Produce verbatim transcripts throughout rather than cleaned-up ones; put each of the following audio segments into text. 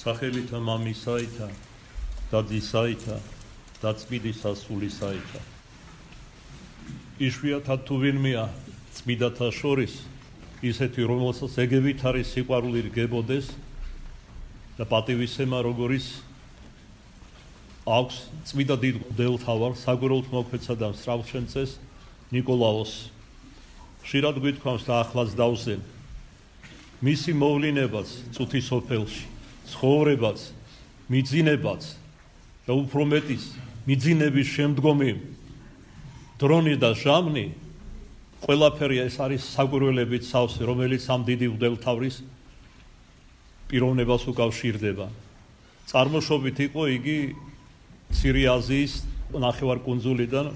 სახელითა მამისაითა და ძისაითა და წმინდისა სულისაითა. იშვიათად თუ ვინმეა წმინდათა შორის ისეთი, რომელსაც ეგევით არის სიყვარული რგებოდეს და პატივისცემა როგორიც აქვს წმინდა დიდ მღვდელმთავარ საგვერელთ მოქმედსა და მსრავლშენწეს ნიკოლაოს. ხშირად გვითქვამს და ახლაც დავზენ მისი მოვლენებაც წუთის სოფელში, ცხოვრებაც, მიძინებაც და უფრო მეტის მიძინების შემდგომი დრონი და ჟამნი ყველაფერი ეს არის საგვირველებით სავსე, რომელიც ამ დიდი მღვდელმთავრის პიროვნებას უკავშირდება. წარმოშობით იყო იგი მცირე აზიის ნახევარკუნძულიდან,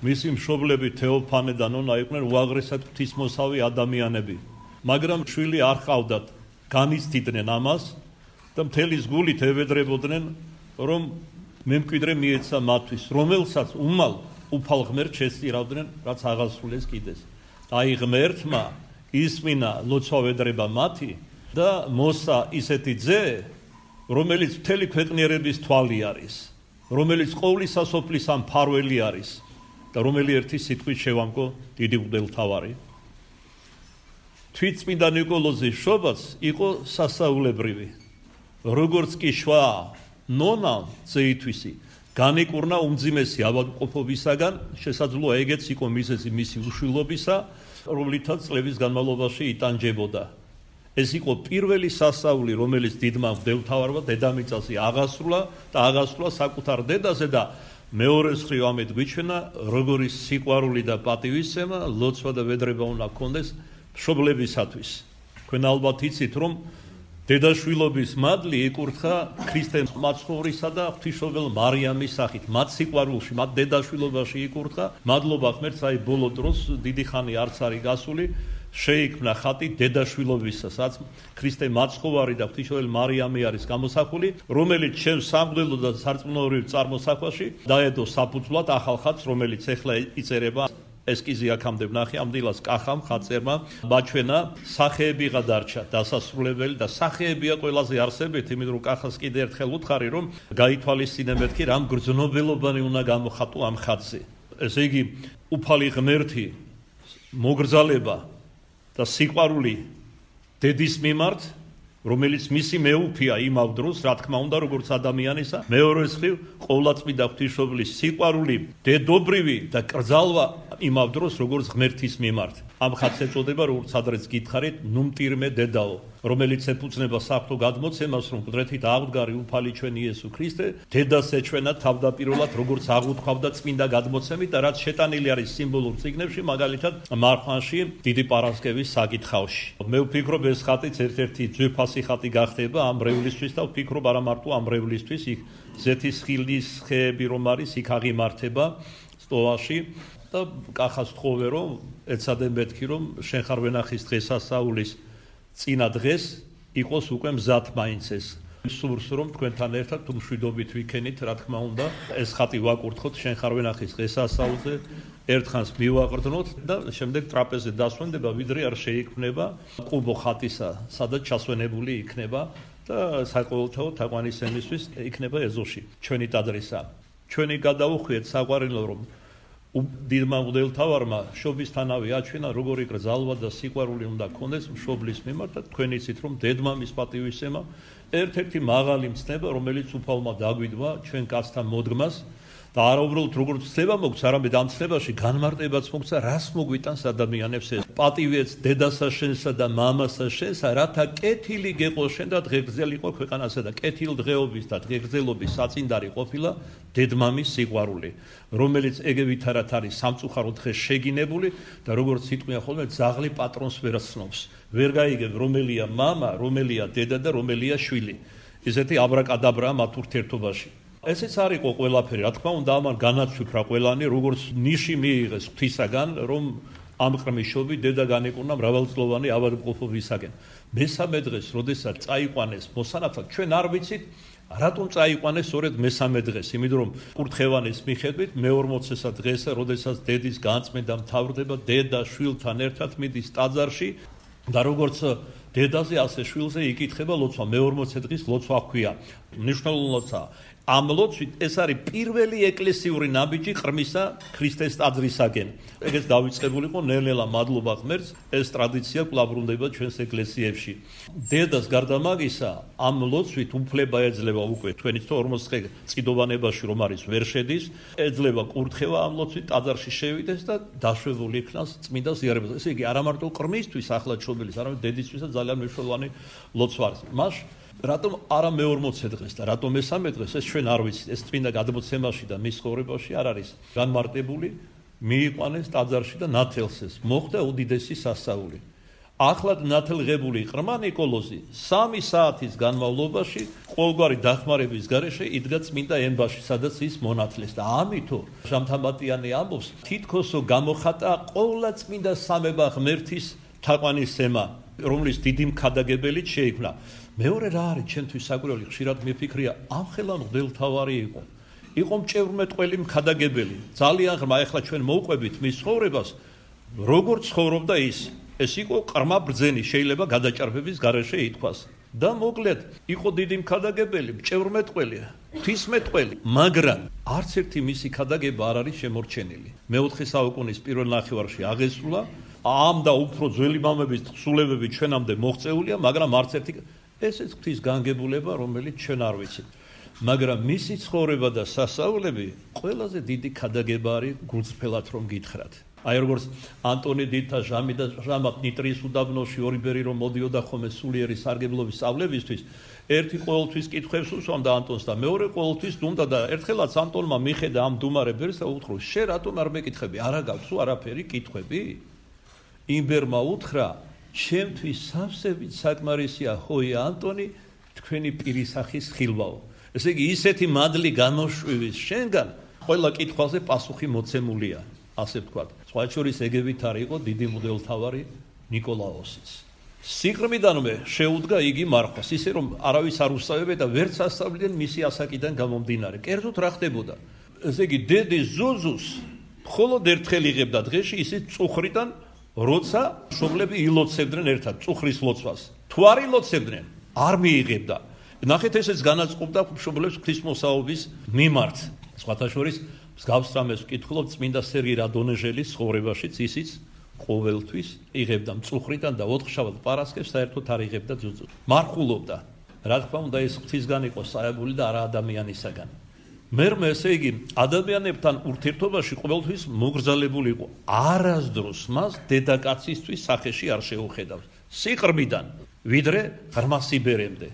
მისი მშობლები თეოფანე და ნონა იყვნენ უაღრესად ღვთისმოსავი ადამიანები. მაგრამ შვილი არ ჰყავდათ, განიცდიდნენ ამას და მთელი გულით ევედრებოდნენ, რომ მემკვიდრე მიეცა მათთვის, რომელსაც უმალ უფალ ღმერთს შესწირავდნენ, რაც აღასრულეს კიდეს. აი ღმერთმა ისმინა ლოცვა-ვედრება მათი და მოსა ისეთი ძე, რომელიც მთელი ქვეყნიერების თვალი არის, რომელიც ყოვლისა სოფლის ამ მფარველი არის და რომელი ერთი სიტყვით შევამკო დიდი მღვდელმთავარი. თვითწმინდა ნიკოლოზის შობაც იყო სასაულებრივი. როგორც კი შვა ნონა ძეითვისი განიკურნა უმძიმესი ავადმყოფობისაგან, შესაძლოა ეგეც იყო მიზეზი მისი უშვილობისა, რომლითაც წლების განმავლობაში იტანჯებოდა. ეს იყო პირველი სასაული, რომელიც დიდმა მღვდელმთავარმა დედამიწაზე აღასრულა და აღასრულა საკუთარ დედაზე და მეორე მხრივ ამით გვიჩვენა, როგორი სიყვარული და პატივისცემა, ლოცვა და ვედრება უნდა ჰქონდეს მშობლებისათვის. თქვენ ალბათ იცით, რომ დედაშვილობის მადლი იკურთხა ქრისტეს მაცხოვრისა და ღვთისმშობელ მარიამის სახით. მათ სიყვარულში, მათ დედაშვილობაში იკურთხა. მადლობა ღმერთს, აი ბოლო დროს დიდი ხანი არც არის გასული, შეიქმნა ხატი დედაშვილობისა, სადაც ქრისტე მაცხოვარი და ღვთისმშობელი მარიამი არის გამოსახული, რომელიც ჩემს სამღვდელო და სარწმუნოებრივ წარმოსახვაში დაედო საფუძვლად ახალ ხატს, რომელიც ეხლა იწერება. ესკიზი აქამდე ვნახე, ამ დილას კახამ ხატწერმა მაჩვენა, სახეებიღა დარჩა დასასრულებელი და სახეებია ყველაზე არსებითი, იმიტომ რომ კახას კიდე ერთხელ უთხარი, რომ გაითვალისწინე მეთქი, რამ გრძნობელობანი უნდა გამოხატო ამ ხატზე. ესე იგი, უფალი ღმერთი, მოგრძალება და სიყვარული დედის მიმართ, რომელიც მისი მეუფია იმავ დროს, რა თქმა უნდა, როგორც ადამიანისა, მეორე მხრივ, ყოვლადწმიდა ღვთისმშობლის სიყვარული, დედობრივი და კრძალვა იმავ დროს, როგორც ღმერთის მიმართ. ამ ხატს ეწოდება, როგორც ადრეც გითხარით, ნუმტირმე დედაო, რომელიც ეფუძნება საფრთხო გადმოცემას, რომ მკვდრეთით აღდგარი უფალი ჩვენი იესო ქრისტე, დედას ეჩვენა თავდაპირველად, როგორც აღუთქვავდა წმინდა გადმოცემით და რაც შეტანილი არის სიმბოლურ წიგნებში, მაგალითად მარხვანში, დიდი პარასკევის საკითხავში. მე ვფიქრობ, ეს ხატიც ერთ-ერთი ძვირფასი ხატი გახდება ამ მრევლისთვის და ვფიქრობ, არა მარტო ამ მრევლისთვის, იქ ზეთის ხილის ხეები რომ არის, იქ აღიმართება სტოვაში. და კახას თხოვე, რომ ეცადე მეთქი, რომ შენ ხარ ვენახის დღესასწაულის წინა დღეს იყოს უკვე მზად მაინც ეს. სურს რომ თქვენთან ერთად თუ მშვიდობით ვიქენით, რა თქმა უნდა, ეს ხატი ვაკურთხოთ შენ ხარ ვენახის დღესასწაულზე, ერთხანს მივაყრდნოთ და შემდეგ ტრაპეზზე დასვენდება, ვიდრე არ შეიქმნება ყუბო ხატისა, სადაც ჩასვენებული იქნება და საყოველთაო თაყვანისცემისთვის იქნება ეზოში. ჩვენი ტაძრისა. ჩვენი გადაუხვიეთ საყვარელო, რომ დიდმა მღვდელმთავარმა შობისთანავე აჩვენა, როგორი კრძალვა და სიყვარული უნდა ჰქონდეს მშობლის მიმართ და თქვენ იცით, რომ დედმამის პატივისცემა ერთ-ერთი მაღალი მცნება, რომელიც უფალმა დაგვიდვა ჩვენ კაცთა მოდგმას და არა უბრალოდ როგორც ცნება მოგცა, არამედ ამ ცნებაში განმარტებაც მოგცა, რას მოგვიტანს ადამიანებს ეს პატივიც დედასა შენსა და მამასა შენსა, რათა კეთილი გეყო შენ და დღეგრძელიყო ქვეყანასა და კეთილდღეობის და დღეგრძელობის საწინდარი ყოფილა დედმამის სიყვარული, რომელიც ეგევითარად არის სამწუხაროდ დღეს შეგინებული და როგორც სიტყვია ხოლმე ძაღლი პატრონს ვერ ცნობს. ვერ გაიგებ, რომელია მამა, რომელია დედა და რომელია შვილი. ესეთი აბრაკადაბრა მათ ურთიერთობაში. ესეც არ იყო ყველაფერი, რა თქმა უნდა, ამან განაცვიფრა ყველანი, როგორც ნიში მიიღეს ღვთისაგან, რომ ამ ყრმიშობი დედა განეკურნა მრავალწლოვანი ავადმყოფობისაგან. მესამე დღეს, როდესაც წაიყვანეს მოსანათად, ჩვენ არ ვიცით, რატომ წაიყვანეს სწორედ მესამე დღეს, იმიტომ რომ კურთხევანის მიხედვით მეორმოცესა დღესა, როდესაც დედის განწმენდა მთავრდება, დედა შვილთან ერთად მიდის ტაძარში და როგორც დედაზე ასე შვილზე იკითხება ლოცვა, მეორმოცე დღის ლოცვა ჰქვია. მნიშვნელოვანია. ამ ლოცვით ეს არის პირველი ეკლესიური ნაბიჯი ყრმისა ქრისტეს ტაძრისაკენ. ეგეც დავიწყებულიყო ნელ-ნელა მადლობა ღმერთს, ეს ტრადიცია კვლავ ბრუნდება ჩვენს ეკლესიებში. დედას გარდა მაგისა, ამ ლოცვით უფლება ეძლევა უკვე თქვენი ორმოცდე წიდოვანებაში რომ არის ვერ შედის, ეძლევა კურთხევა ამ ლოცვით ტაძარში შევიდეს და დაშვებული იქნას წმინდა ზიარებას. ესე იგი, არა მარტო ყრმისთვის ახლა ჩობილის, არამედ დედისთვისაც ძალიან მნიშვნელოვანი ლოცვა არის. მას რატომ არა მეორმოცე დღეს და რატომ მესამე დღეს ეს ჩვენ არ ვიცით. ეს წმინდა გადმოცემაში და მის ცხოვრებაში არ არის განმარტებული. მიიყვანეს ტაძარში და ნათელსეს მოხდა უდიდესი სასწაული. ახლად ნათელღებული ყრმა ნიკოლოზი სამი საათის განმავლობაში ყოველგვარი დახმარების გარეშე იდგა წმინდა ენბაში, სადაც ის მონათლეს და ამითო ჟამთამბატიანი ამბობს, თითქოსო გამოხატა ყოვლა წმინდა სამება ღმერთის თაყვანისცემა, რომლის დიდი მქადაგებელიც შეიქმნა. მეორე რა არის ჩემთვის საკვირველი, ხშირად მიფიქრია, ამ ხელა მღვდელმთავარი იყო. იყო მჭევრმეტყველი მქადაგებელი. ძალიან ღრმა, ეხლა ჩვენ მოვყვებით მის ცხოვრებას, როგორ ცხოვრობდა ის. ეს იყო ყრმა ბრძენი, შეიძლება გადაჭარბების გარეშე ითქვას. და მოკლედ, იყო დიდი მქადაგებელი, მჭევრმეტყველი, ღვთისმეტყველი, მაგრამ არც ერთი მისი ქადაგება არ არის შემორჩენილი. მეოთხე საუკუნის პირველ ნახევარში აღესრულა, ამ და უფრო ძველი მამების თხზულებები ჩვენამდე მოღწეულია, მაგრამ არც ერთი ესეც ღვთის განგებულება, რომელიც ჩვენ არ ვიცით. მაგრამ მისი ცხოვრება და სასწაულები ყველაზე დიდი ქადაგება არის გულწრფელად რომ გითხრათ. აი როგორც ანტონი დიდთა ჟამი და ჟამათ ნიტრიის უდაბნოში ორი ბერი რომ მოდიოდა ხოლმე სულიერი სარგებლობის სწავლებისთვის, ერთი ყოველთვის კითხვებს უსვამდა ანტონს და მეორე ყოველთვის დუმდა და ერთხელაც ანტონმა მიხედა ამ დუმარე ბერს და უთხრა, შენ რატომ არ მეკითხები? არა გაქვს არაფერი კითხვები? იმ ბერმა უთხრა, ჩემთვის სავსებით საკმარისია ჰოია ანტონი, თქვენი პირისახის ხილვაო. ესე იგი, ისეთი მადლი გამოშვივის შენგან, ყველა კითხვაზე პასუხი მოცემულია, ასე ვთქვათ. სხვა შორის ეგებით არ იყო დიდი მღვდელმთავარი ნიკოლაოსიც. სიღრმიდანვე შეუდგა იგი მარხვას, ისე რომ არავის არ უსწავებდა და ვერც ასწავლიდნენ მისი ასაკიდან გამომდინარე. კერძოდ რა ხდებოდა? ესე იგი, დედის ზუზუს მხოლოდ ერთხელ იღებდა დღეში, ისიც წუხრიდან, როცა მშობლები ილოცებდნენ ერთად წუხრის ლოცვას. თუ არ ილოცებდნენ, არ მიიღებდა. ნახეთ, ესეც განაწყობდა მშობლებს ღვთისმოსაობის მიმართ. სხვათა შორის მსგავს რამეს ვკითხულობ წმინდა სერგი რადონეჟელის ცხოვრებაშიც, ისიც ყოველთვის იღებდა მწუხრიდან და ოთხშაბათ პარასკევს საერთოდ არ იღებდა ძუძუს. მარხულობდა. რა თქმა უნდა, ეს ღვთისგან იყო საებული და არა ადამიანისაგან. მერმე, ესე იგი, ადამიანებთან ურთიერთობაში ყოველთვის მოგრძალებული იყო. არასდროს მას დედაკაცისთვის სახეში არ შეუხედავს. სიყრმიდან, ვიდრე ღრმა სიბერემდე.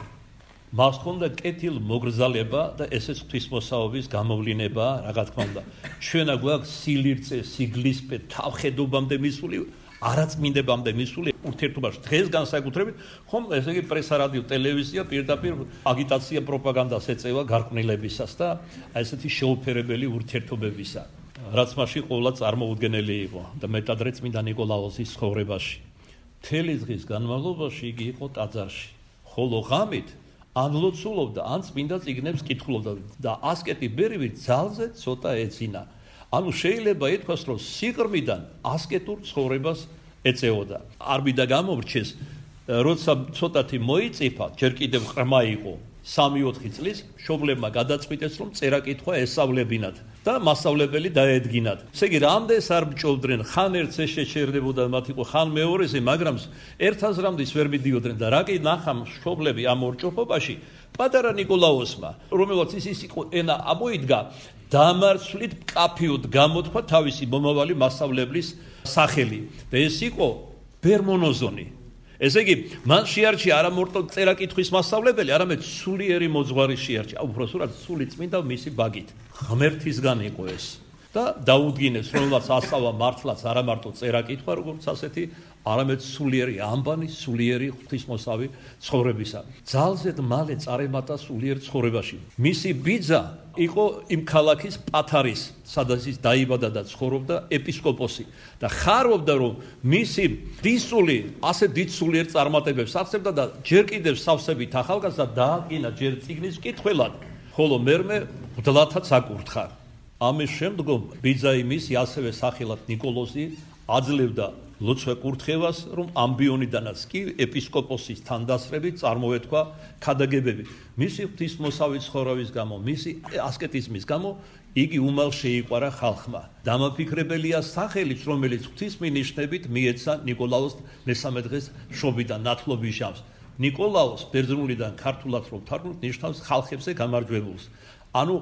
მას ჰქონდა კეთილ მოგრძალება და ესეც ღვთისმოსაობის გამოვლინება, რა თქმა უნდა. ჩვენა გვაქვს სილირწე, სიგლისპე, თავხედობამდე მისული, არაწმინდებამდე მისული ურთიერთობაში. დღეს განსაკუთრებით, ხომ ესე იგი პრესა, რადიო, ტელევიზია პირდაპირ აგიტაცია, პროპაგანდას ეწევა გარყვნილებისას და აი ესეთი შეუფერებელი ურთიერთობებისა. რაც მასში ყოვლა წარმოუდგენელი იყო და მეტადრე წმინდა ნიკოლაოსის ცხოვრებაში. მთელი დღის განმავლობაში იგი იყო ტაძარში. ხოლო ღამით ან ლოცულობდა, ან წმინდა წიგნებს კითხულობდა და ასკეტი ბერივი ძალზე ცოტა ეძინა. ანუ შეიძლება ითქვას, რომ სიღრმიდან ასკეტურ ცხოვრებას ეწეოდა. არ მინდა გამომრჩეს, როცა ცოტათი მოიწიფა, ჯერ კიდევ ყრმა იყო, სამი ოთხი წლის, მშობლებმა გადაწყვიტეს, რომ წერა-კითხვა ესწავლებინათ და მასწავლებელი დაედგინათ. ესე იგი, რამდენს არ მჭოვდნენ, ხან ერთს ეს შეჩერდებოდა მათ იყო, ხან მეორეზე, მაგრამ ერთ აზრამდის ვერ მიდიოდნენ და რა კი ნახა მშობლები ამ ორჭოფობაში, პატარა ნიკოლაოსმა, რომელსაც ის იყო ენა ამოიდგა, დამარცვლით მკაფიოდ გამოთქვა თავისი მომავალი მასწავლებლის სახელი და ეს იყო ბერმონოზონი. ესე იგი, მან შეარჩია არა მარტო წერა-კითხვის მასწავლებელი, არამედ სულიერი მოძღვარი შეარჩია, უბრალოდ სული წმინდა მისი ბაგით. ღმერთისგან იყო ეს. და დაუდგინეს, რომელსაც ასწავლა მართლაც არა მარტო წერა-კითხვა, როგორც ასეთი, არამედ სულიერი ამბანი, სულიერი ღვთისმოსავი ცხოვრებისა. ძალზედ მალე წარემატა სულიერ ცხოვრებაში. მისი ბიძა იყო იმ ქალაქის პათარის, სადაც ის დაიბადა და ცხოვრობდა ეპისკოპოსი და ხარობდა, რომ მისი დისული ასე დიდ სულიერ წარმატებებს აღწევდა და ჯერ კიდევ სავსებით ახალგაზრდა დააკინა ჯერ წიგნის მკითხველად, ხოლო მერმე მღვდლათაც აკურთხა. ამის შემდგომ ბიძა იმისი ასევე სახელად ნიკოლოზი აძლევდა ლოცვა კურთხევას, რომ ამბიონიდანაც კი ეპისკოპოსის თანდასწრებით წარმოეთქვა ქადაგებები. მისი ღვთისმოსავი ცხოვრების გამო, მისი ასკეტიზმის გამო იგი უმალ შეიყვარა ხალხმა. დამაფიქრებელია სახელიც, რომელიც ღვთისმინიშნებით მიეცა ნიკოლაოს მესამე დღეს შობიდან ნათლობის ჟამს. ნიკოლაოს ბერძნულიდან ქართულად რომ თარგმნოთ, ნიშნავს ხალხებზე გამარჯვებულს. ანუ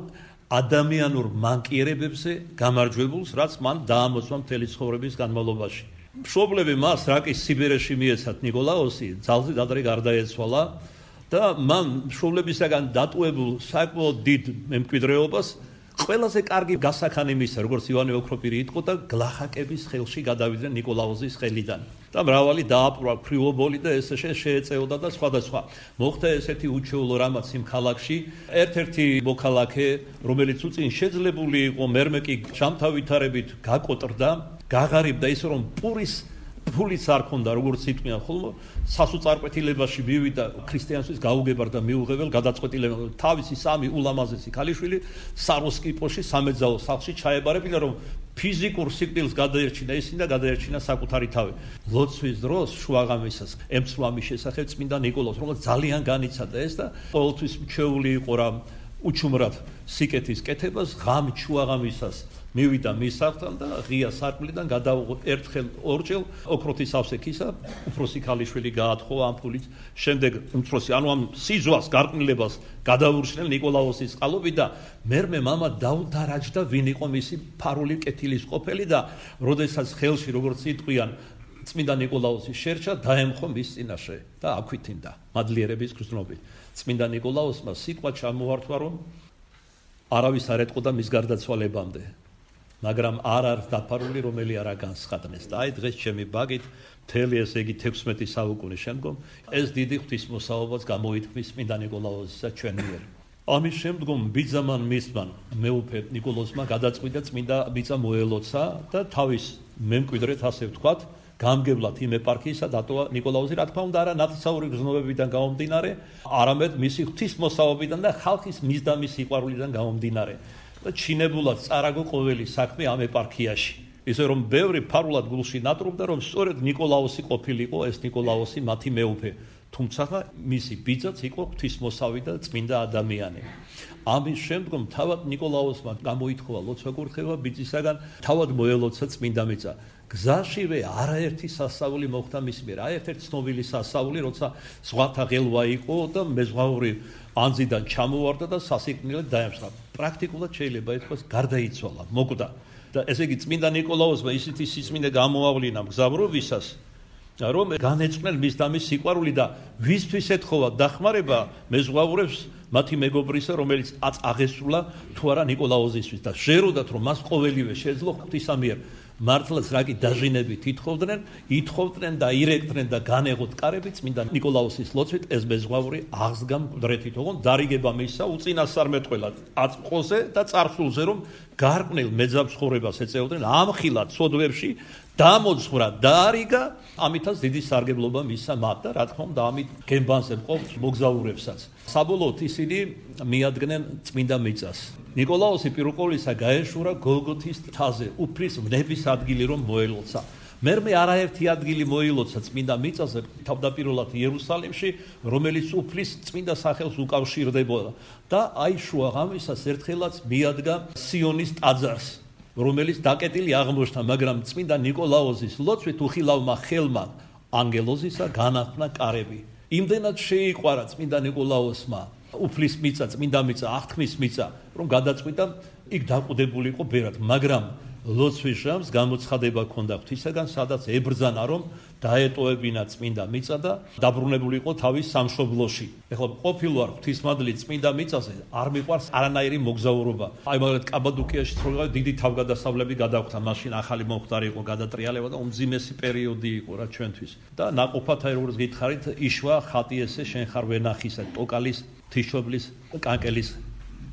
ადამიანურ მანკიერებებზე გამარჯვებულს, რაც მან დაამოწმა მთელი ცხოვრების განმავლობაში. მშობლები მას რაკის სიბერეში მიეცათ ნიკოლაოსი, ძალზედ ადრე გარდაეცვალა და მან მშობლებისაგან დატუებულ საკმაოდ დიდ მემკვიდრეობას ყველაზე კარგი გასახანი მისცა, როგორც ივანე ოქროპირი იტყოდა და გლახაკების ხელში გადავიდნენ ნიკოლაოსის ხელიდან. და მრავალი დააპყრა ფრიობოლი და ეს შეეწეოდა და სხვადასხვა. მოხდა ესეთი უჩვეულო რამაც იმ ქალაქში. ერთ-ერთი მოქალაქე, რომელიც უწინ შეძლებული იყო მერმეკი ჟამთავითარებით გაკოტრდა, გაღარიბდა ისე რომ პურის ფულიც არ ქონდა, როგორც იტყვიან ხოლმე, სასოწარკვეთილებაში მივიდა ქრისტიანსთვის გაუგებარ და მიუღებელ გადაწყვეტილებამ. თავისი სამი ულამაზესი ქალიშვილი საროსკიპოში სამეძაო სახლში ჩაებარებინა, რომ ფიზიკურ სიკვდილს გადაერჩინა ისინი და გადაერჩინა საკუთარი თავი. ლოცვის დროს შუაღამისას ემცვამის შესახებ წმინდა ნიკოლაოს, რომელიც ძალიან განიცადა ეს და ყოველთვის მჩეული იყო რა უჩუმრად სიკეთის კეთებას, ღამ შუაღამისას მივიდა მის სახლთან და ღია სარკმლიდან გადავიღო ერთხელ ორჯერ ოქროთის ავსექისა, უფროსი ქალიშვილი გაათხოვა ამ ფულით. შემდეგ უმცროსი, ანუ ამ სიძვას, გარყვნილებას გადაურჩნენ ნიკოლაოსის წყალობით და მერმე მამა დაუდარაჯდა, ვინ იყო მისი ფარული კეთილის ყოფილი და როდესაც ხელში, როგორც იტყვიან, წმინდა ნიკოლაოსი შერჩა, დაემხო მის წინაშე და აქვითინდა მადლიერების გრძნობით. წმინდა ნიკოლაოსმა სიტყვა ჩამოართვა, რომ არავის არ ეტყოდა მის გარდაცვალებამდე. მაგრამ არ არის დაფარული, რომელი არა განსხატნეს. და აი დღეს ჩემი ბაგით მთელი ესე იგი თექვსმეტი საუკუნის შემდგომ ეს დიდი ღვთისმოსაობაც გამოითქმის წმინდა ნიკოლაოსისა ჩვენ მიერ. ამის შემდგომ ბიძამან მისმან მეუფე ნიკოლოსმა გადაწყვიტა წმინდა მიწა მოელოცა და თავის მემკვიდრეთ ასე ვთქვათ, გამგებლად იმ ეპარქიისა დატოვა ნიკოლაოსი, რა თქმა უნდა, არა ნათლისმცემელი გრძნობებიდან გამომდინარე, არამედ მისი ღვთისმოსაობიდან და ხალხის მისდამის სიყვარულიდან გამომდინარე. და ჩინებულად წარაგო ყოველი საქმე ამ ეპარქიაში. ისე რომ ბევრი ფარულად გულში ნატრობდა, რომ სწორედ ნიკოლაოსი ყოფილიყო ეს ნიკოლაოსი მათი მეუფე. თუმცა მისი ბიძაც იყო ღვთისმოსავი და წმინდა ადამიანი. ამის შემდგომ თავად ნიკოლაოსმა გამოითხოვა ლოცვა კურთხევა ბიძისაგან, თავად მოელოცა წმინდა მიწა. გზაშივე არაერთი სასწაული მოხდა მის მიერ. აი ერთ-ერთი ცნობილი სასწაული, როცა ზღვათა ღელვა იყო და მეზღვაური ანძიდან ჩამოვარდა და სასიკვდილოდ დაემსხა. პრაქტიკულად შეიძლება ითქვას გარდაიცვალა, მოკვდა. და ესე იგი წმინდა ნიკოლაოსმა ისეთი სიწმინდე გამოავლინა მგზავრობისას, რომ განეწყვნენ მის დამის სიყვარული და ვისთვის ეთხოვა დახმარება მეზღვაურებს მათი მეგობრისა, რომელიც აწ აღესრულა თუ არა ნიკოლაოსისთვის და ჟეროდათ, რომ მას ყოველივე შეძლო ღვთისამიერ მართლაც რაკი დაჟინებით ითხოვდნენ, ითხოვდნენ და ირეკდნენ და განეღოთ კარები წმინდა ნიკოლაოსის ლოცვით ეს მეზღვაური აღსდგა მკვდრეთით, ოღონდ დარიგება მისცა უწინასწარმეტყველად აწყოზე და წარსულზე, რომ გარყვნილ მეძაბცხოვრებას ეწეოდნენ, ამხილად სოდვებში დამოძღვრა, დაარიგა, ამითაც დიდი სარგებლობა მისცა მათ და რა თქმა უნდა ამით გემბანზე მყოფ მოგზაურებსაც. საბოლოოდ ისინი მიადგნენ წმინდა მიწას. ნიკოლაოსი პირველყოლისა გაეშურა გოლგოთის მთაზე, უფლის ვნების ადგილი რომ მოელოცა. მერმე არაერთი ადგილი მოილოცა წმინდა მიწაზე, თავდაპირველად იერუსალიმში, რომელიც უფლის წმინდა სახელს უკავშირდებოდა და აი შუაღამისას ერთხელაც მიადგა სიონის ტაძარს, რომელიც დაკეტილი აღმოჩნდა, მაგრამ წმინდა ნიკოლაოსის ლოცვით უხილავმა ხელმა ანგელოზისა განახნა კარები. იმდენად შეიყვარა წმინდა ნიკოლაოსმა უფლის მიწა, წმინდა მიწა, აღთქმის მიწა, რომ გადაწყვიტა იქ დაყუდებული იყო ბერად, მაგრამ ლოცვის ჟამს გამოცხადება ჰქონდა ღვთისაგან, სადაც ებრძანა, რომ დაეტოვებინა წმინდა მიწა და დაბრუნებული იყო თავის სამშობლოში. ეხლა ყოფილვარ ღვთისმადლი წმინდა მიწაზე, არ მიყვარს არანაირი მოგზაურობა. აი მაგალითად კაბადოკიაში ცხოვრება დიდი თავგადასავლები გადახვდა, მაშინ ახალი მომხდარი იყო გადატრიალება და უმძიმესი პერიოდი იყო რა ჩვენთვის. და ნაყოფად აი როგორც გითხარით, იშვა ხატი ესე შენ ხარ ვენახისა, ტოკალის, თიშობლის, კანკელის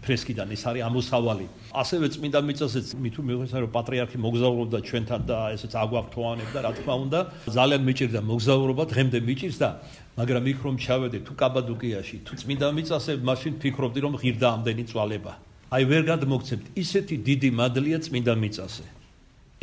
ფრესკიდან ის არის ამოსავალი. ასევე წმინდა მიწაზეც მით უმეტესად რომ პატრიარქი მოგზაურობდა ჩვენთან და ესეც აგვაქვთოვანებდა, რა თქმა უნდა, ძალიან მიჭირდა მოგზაურობა, დღემდე მიჭირს და მაგრამ იქ რომ ჩავედე თუ კაბადოკიაში, თუ წმინდა მიწაზე, მაშინ ფიქრობდი რომ ღირდა ამდენი წვალება. აი ვერ გადმოგცემთ, ისეთი დიდი მადლია წმინდა მიწაზე.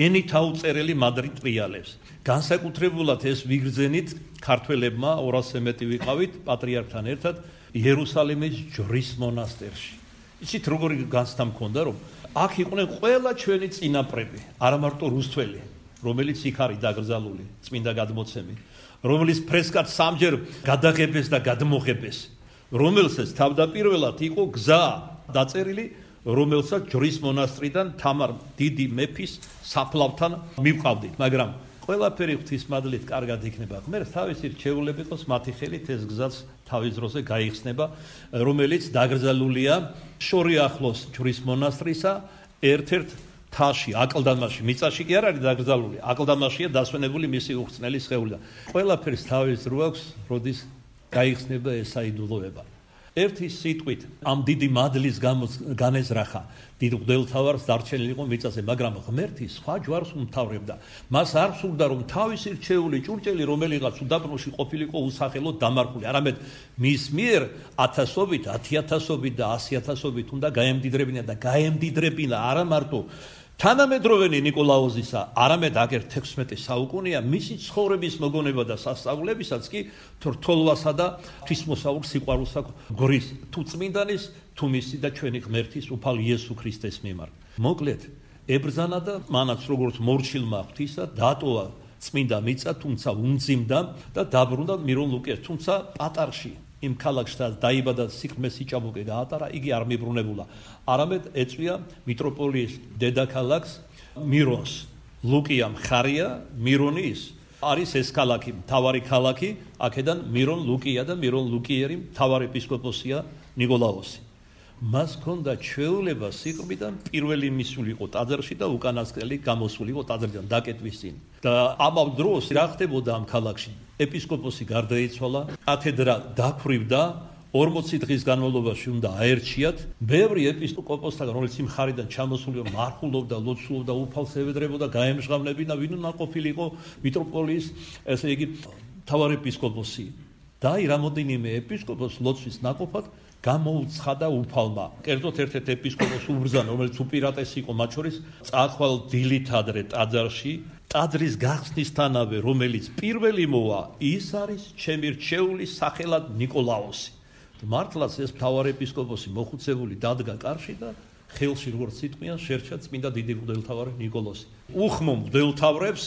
ენით აუწერელი მადრი ტრიალებს. განსაკუთრებულად ეს ვიგრძენით ქართველებმა ორასზე მეტი ვიყავით პატრიარქთან ერთად იერუსალიმის ჯვრის მონასტერში. იცით როგორი განცდა მქონდა რომ აქ იყვნენ ყველა ჩვენი წინაპრები, არა მარტო რუსთველი, რომელიც იქ არის დაკრძალული წმინდა გადმოცემით, რომელიც ფრესკად სამჯერ გადაღებეს და გადმოღებეს, რომელსაც თავდაპირველად იყო გზა დაწერილი, რომელსაც ჯვრის მონასტრიდან თამარ დიდი მეფის საფლავთან მივყავდით, მაგრამ ყველაფერი ღვთისმადლით კარგად იქნება. ღმერთს თავისი რჩეულები ყავს მათი ხელით ეს გზაც თავის დროზე გაიხსნება, რომელიც დაკრძალულია შორი ახლოს ჯვრის მონასტრისა ერთ-ერთ თაში, აკლდამაში, მიწაში კი არ არის დაკრძალული, აკლდამაშია დასვენებული მისი უხრწნელი სხეული. ყველაფერს თავის დრო აქვს, როდის გაიხსნება ეს საიდუმლოება. ერთი სიტყვით ამ დიდი მადლის განეზრახა დიდ მღვდელმთავარს დარჩენილი იყო მიწაზე, მაგრამ ღმერთი სხვა ჯვარს უმთავრებდა. მას არ სურდა რომ თავისი რჩეული ჭურჭელი რომელიღაც უდაბნოში ყოფილიყო უსახელოდ დამარხული, არამედ მის მიერ ათასობით, ათიათასობით და ასიათასობით უნდა გაემდიდრებინა და გაემდიდრებინა არა მარტო თანამედროვენი ნიკოლაოზისა, არამედ აგერ თექვსმეტე საუკუნეა მისი ცხოვრების მოგონება და სასწაულებისაც კი თრთოლვასა და ღვთისმოსაურ სიყვარულს აქვს გორის თუ წმინდანის, თუ მისი და ჩვენი ღმერთის უფალ იესო ქრისტეს მიმართ. მოკლედ, ებრძანა და მანაც როგორც მორჩილმა ღვთისა დატოვა წმინდა მიწა, თუმცა უმძიმდა და დაბრუნდა მირონ ლუკეს, თუმცა პატარში იმ ქალაქში დაიბადა სიქმეს სიჭაბუკე გაატარა, იგი არ მიბრუნებულა. არამედ ეწვია მიტროპოლიის დედაქალაქს მირონს. ლუკია მხარია, მირონი ის არის ეს ქალაქი, მთავარი ქალაქი, აქედან მირონ ლუკია და მირონ ლუკიერი მთავარი ეპისკოპოსია ნიკოლაოსი. მას ჰქონდა ჩვეულება სიყრმიდან პირველი მისულიყო ტაძარში და უკანასკნელი გამოსულიყო ტაძრიდან დაკეტვის წინ. და ამავე დროს რა ხდებოდა ამ ქალაქში? ეპისკოპოსი გარდაიცვალა, კათედრა დაფრივდა, ორმოცი დღის განმავლობაში უნდა აერჩიათ. ბევრი ეპისკოპოსთან, რომელიც იმ ხარიდან ჩამოსულიყო, მარხულობდა, ლოცულობდა, უფალს ევედრებოდა, გაემჟღავნებინა, ვინ უნდა ყოფილიყო მიტროპოლიის, ესე იგი, მთავარი ეპისკოპოსი. და რამოდენიმე ეპისკოპოსს ლოცვის ნაკოფად გამოუცხადა უფალმა. კერძოდ ერთ-ერთ ეპისკოპოსს უბრძანა, რომელიც უპირატესი იყო მათ შორის, წაახვალ დილით ადრე ტაძარში, ტაძრის გახსნისთანავე, რომელიც პირველი მოვა, ის არის ჩემი რჩეული სახელად ნიკოლაოსი. მართლაც ეს მთავარი ეპისკოპოსი მოხუცებული დადგა კარში და ხელში როგორც სიტყვიან შერჩა წმინდა დიდი მღვდელმთავარი ნიკოლოზი. უხმო მღვდელმთავრებს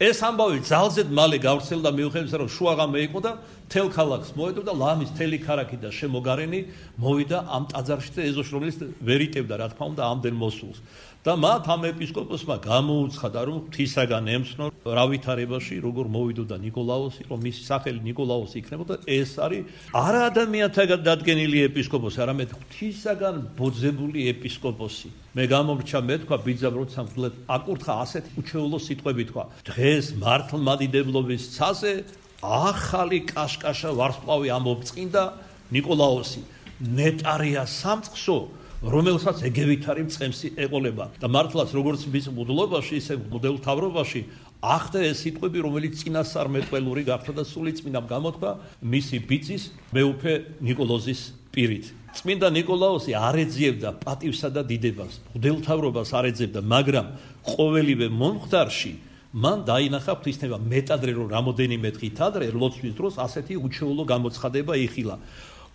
ეს ამბავი ძალზედ მალე გავრცელდა მიუხედავად რომ შუაღამე იყო და თელ ქალაქს მოედო და ლამის თელი ქარაკი და შემოგარენი მოვიდა ამ ტაძარში და ეზოში რომელიც ვერ იტევდა რა თქმა უნდა ამდენ მოსულს. და მათ ამ ეპისკოპოსმა გამოუცხადა რომ ღვთისაგან ემცნო რა ვითარებაში როგორ მოვიდოდა ნიკოლაოსი, რომ მისი სახელი ნიკოლაოსი იქნებოდა. ეს არის არა ადამიანთაგან დადგენილი ეპისკოპოსი, არამედ ღვთისაგან ბოძებული ეპისკოპოსი. მე გამომრჩა მე თქვა ბიძამ როცა მგლებ აკურთხა ასეთ უჩვეულო სიტყვები თქვა. დღეს მართლმადიდებლობის ცაზე ახალი კაშკაშა ვარსკვლავი ამობწყინდა ნიკოლაოსი. ნეტარია სამწყსო რომელსაც ეგევითარი მწყემსი ეყოლება და მართლაც როგორც მის მუდლობაში ისე მუდელთავრობაში ახდა ეს სიტყვები რომელიც წინასწარმეტყველური გახდა და სული წმინდამ გამოთქვა მისი ბიძის მეუფე ნიკოლოზის პირით. წმინდა ნიკოლაოსი არ ეძიებდა პატივსა და დიდებას, მუდელთავრობას არ ეძებდა, მაგრამ ყოველივე მომხდარში მან დაინახა ღვთისნება მეტადრე რომ რამოდენიმე დღით ადრე ლოცვის დროს ასეთი უჩვეულო გამოცხადება იხილა.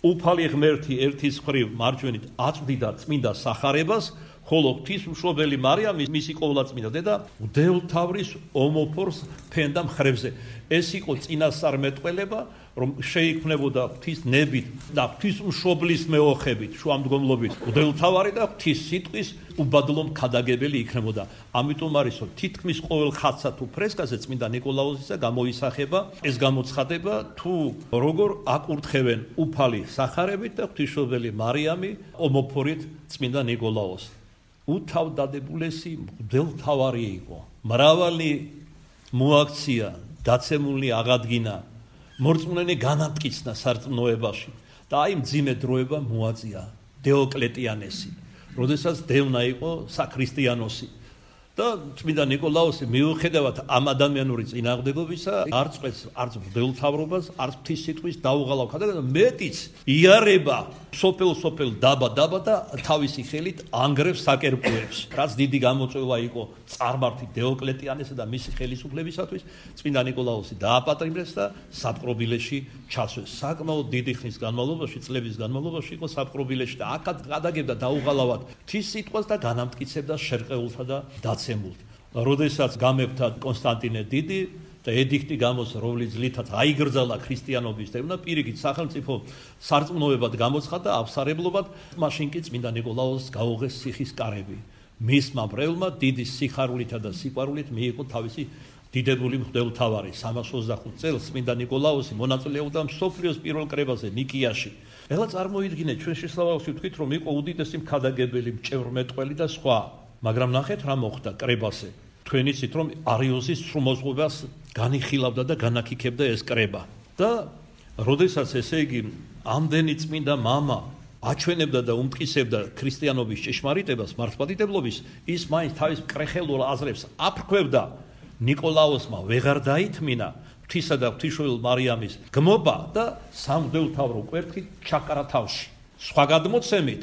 უფალი ღმერთი ერთის მხრივ მარჯვენით აწვდიდა წმინდა სახარებას, ხოლო ღვთისმშობელი მარიამი მისი ყოვლადწმინდა დედა მღვდელმთავრის ომოფორს ფენდა მხრებზე. ეს იყო წინასწარმეტყველება, რომ შეიქმნებოდა ღვთისნებით და ღვთისმშობლის მეოხებით, შუამდგომლობით მღვდელმთავარი და ღვთის სიტყვის უბადლო მქადაგებელი იქნებოდა. ამიტომ არის რომ თითქმის ყოველ ხატსა თუ ფრესკაზე წმინდა ნიკოლაოსისა გამოისახება ეს გამოცხადება თუ როგორ აკურთხევენ უფალი სახარებით და ღვთისმშობელი მარიამი ომოფორით წმინდა ნიკოლაოსი. უთავდადებულესი მღვდელმთავარი იყო. მრავალი მოაქცია, დაცემული აღადგინა, მორწმუნენი განამტკიცნა სარწმუნოებაში და აი მძიმე დროება მოაწია დეოკლეტიანესი, როდესაც დევნა იყო საქრისტიანოსი და წმინდა ნიკოლაუსი მიუხედავად ამ ადამიანური წინააღმდეგობისა არ წყვეტს არც მღვდელმთავრობას, არც ღვთის სიტყვის დაუღალავ ხადაგა, მეტიც იარება სოფელ-სოფელ დაბა-დაბა და თავისი ხელით ანგრევს საკერპუებს. რაც დიდი გამოწვევა იყო წარმართი დეოკლეტიანესა და მისი ხელისუფლებისათვის, წმინდა ნიკოლაუსი დააპატრიბეს და საპყრობილეში ჩასვეს. საკმაოდ დიდი ხნის განმავლობაში, წლების განმავლობაში იყო საპყრობილეში და აქაც გადაგებდა დაუღალავად ღვთის სიტყვას და განამტკიცებდა შერყეულთა და დაცემულთ. როდესაც გამეფდა კონსტანტინე დიდი და ედიქტი გამოსცა, რომლის ძლითაც აიგრძალა ქრისტიანობის დევნა, პირიქით სახელმწიფო სარწმუნოებად გამოცხადა, აფსარებლობად, მაშინ კი წმინდა ნიკოლაუსს გაუღეს ციხის კარები. მისმა მრევლმა დიდი სიხარულითა და სიყვარულით მიიღო თავისი დიდებული მღვდელმთავარი. სამას ოცდახუთ წელს წმინდა ნიკოლაუსი მონაწილეობდა მსოფლიოს პირველ კრებაზე ნიკიაში. ეხლა წარმოიდგინეთ, ჩვენ შესაძლოა ვთქვით, რომ იყო უდიდესი მქადაგებელი, მჭევრმეტყველი და სხვა. მაგრამ ნახეთ რა მოხდა კრებაზე. თქვენ იცით რომ არიოზის სრულმოძღვებას განიხილავდა და განაკიქებდა ეს კრება. და როდესაც ესე იგი ამდენი წმინდა მამა აჩვენებდა და უმტკიცებდა ქრისტიანობის ჭეშმარიტებას, მართლმადიდებლობის, ის მაინც თავის კრეხელურ აზრებს აფრქვევდა. ნიკოლაუსმა ვეღარ დაითმინა ღვთისა და ღვთისმშობელ მარიამის გმობა და სამღვდელმთავრო კვერთხით ჩაკარა თავში. სხვა გადმოცემით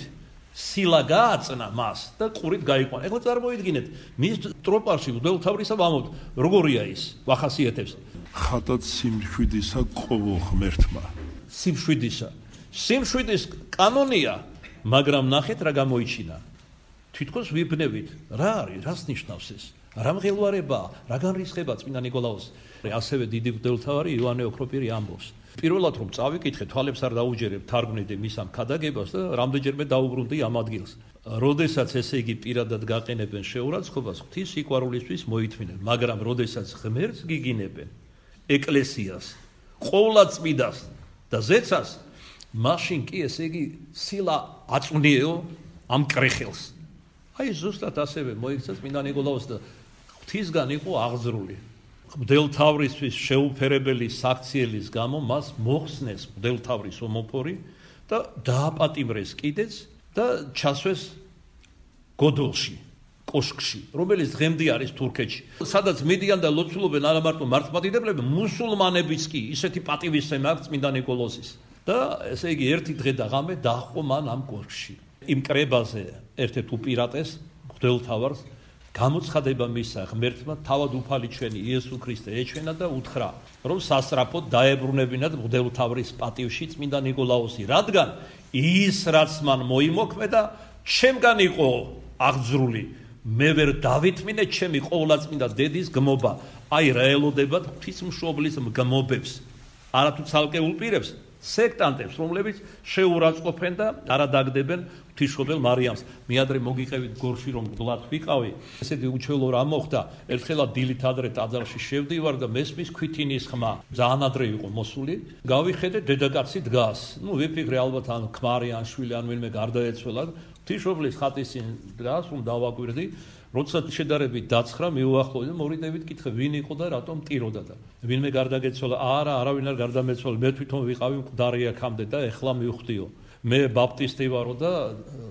სილა გააწნა მას და ყურით გაიყვანა. ეხლა წარმოიდგინეთ, მის ტროპარში მღვდელმთავრისა ვამბობთ, როგორია ის, ვახასიათებს. ხატად სიმშვიდისა ყოველ ღმერთმა. სიმშვიდისა. სიმშვიდის კანონია, მაგრამ ნახეთ რა გამოიჩინა. თვითონ ვიბნევით, რა არის, რას ნიშნავს ეს? რა მღელვარებაა, რა განრისხება წმინდა ნიკოლაუსს. ასევე დიდი მღვდელმთავარი იოანე ოქროპირი ამბობს. პირველად რომ წავიკითხე, თვალებს არ დაუჯერებ, თარგმნიდი მის ამ ქადაგებას და რამდენჯერმე დაუბრუნდი ამ ადგილს. როდესაც ესე იგი პირადად გაყენებენ შეურაცხყოფას, ღვთის სიყვარულისთვის მოითმინენ, მაგრამ როდესაც ღმერთს გიგინებენ, ეკლესიას, ყოვლადწმიდას და ზეცას, მაშინ კი ესე იგი სილა აწვნიეო ამ კრეხელს. აი ზუსტად ასევე მოიქცა წმინდა ნიკოლაუსს და ღვთისგან იყო აღზრული. მღვდელმთავრისთვის შეუფერებელი საქციელის გამო მას მოხსნეს მღვდელმთავრის ომოფორი და დააპატიმრეს კიდეც და ჩასვეს გოდოლში, კოშკში, რომელიც დღემდე არის თურქეთში. სადაც მიდიან და ლოცულობენ არა მარტო მართლმადიდებლები, მუსულმანებიც კი ისეთი პატივისცემა აქვს წმინდა ნიკოლოზის. და ესე იგი ერთი დღე და ღამე დაჰყო მან ამ კოშკში. იმ კრებაზე ერთ-ერთ უპირატეს მღვდელმთავარს გამოცხადება მისცა ღმერთმა, თავად უფალი ჩვენი იესო ქრისტე ეჩვენა და უთხრა, რომ სასწრაფოდ დაებრუნებინათ მღვდელმთავრის პატივში წმინდა ნიკოლაუსი, რადგან ის რაც მან მოიმოქმედა, ჩემგან იყო აღძრული, მე ვერ დავითმინე ჩემი ყოვლადწმინდა დედის გმობა. აი რა ელოდებათ ღვთისმშობლის გმობებს, არათუ ცალკეულ პირებს, სექტანტებს, რომლებიც შეურაცხყოფენ და არადაგდებენ ღვთისმშობელ მარიამს. მე ადრე მოგიყევით გორში რომ გლად ვიყავი, ესეთი უჩვეულო რა მოხდა, ერთხელა დილით ადრე ტაძარში შევდივარ და მესმის ქვითინის ხმა, ძალიან ადრე იყო მოსული, გავიხედე დედაკაცი დგას. ნუ ვიფიქრე ალბათ ან ქმარი ან შვილი ან ვინმე გარდაეცვალა, ღვთისმშობლის ხატის წინ დგას, რომ დავაკვირდი. როდესაც შედარებით დაცხრა, მიუახლოვდი და მოვიდებით, კითხე, ვინ იყო და რატომ ტიროდა და ვინმე გარდაგეცვალა, არა, არავინ არ გარდამეცვალა, მე თვითონ ვიყავი მკვდარი აქამდე და ეხლა მივხვდიო. მე ბაპტისტი ვარო და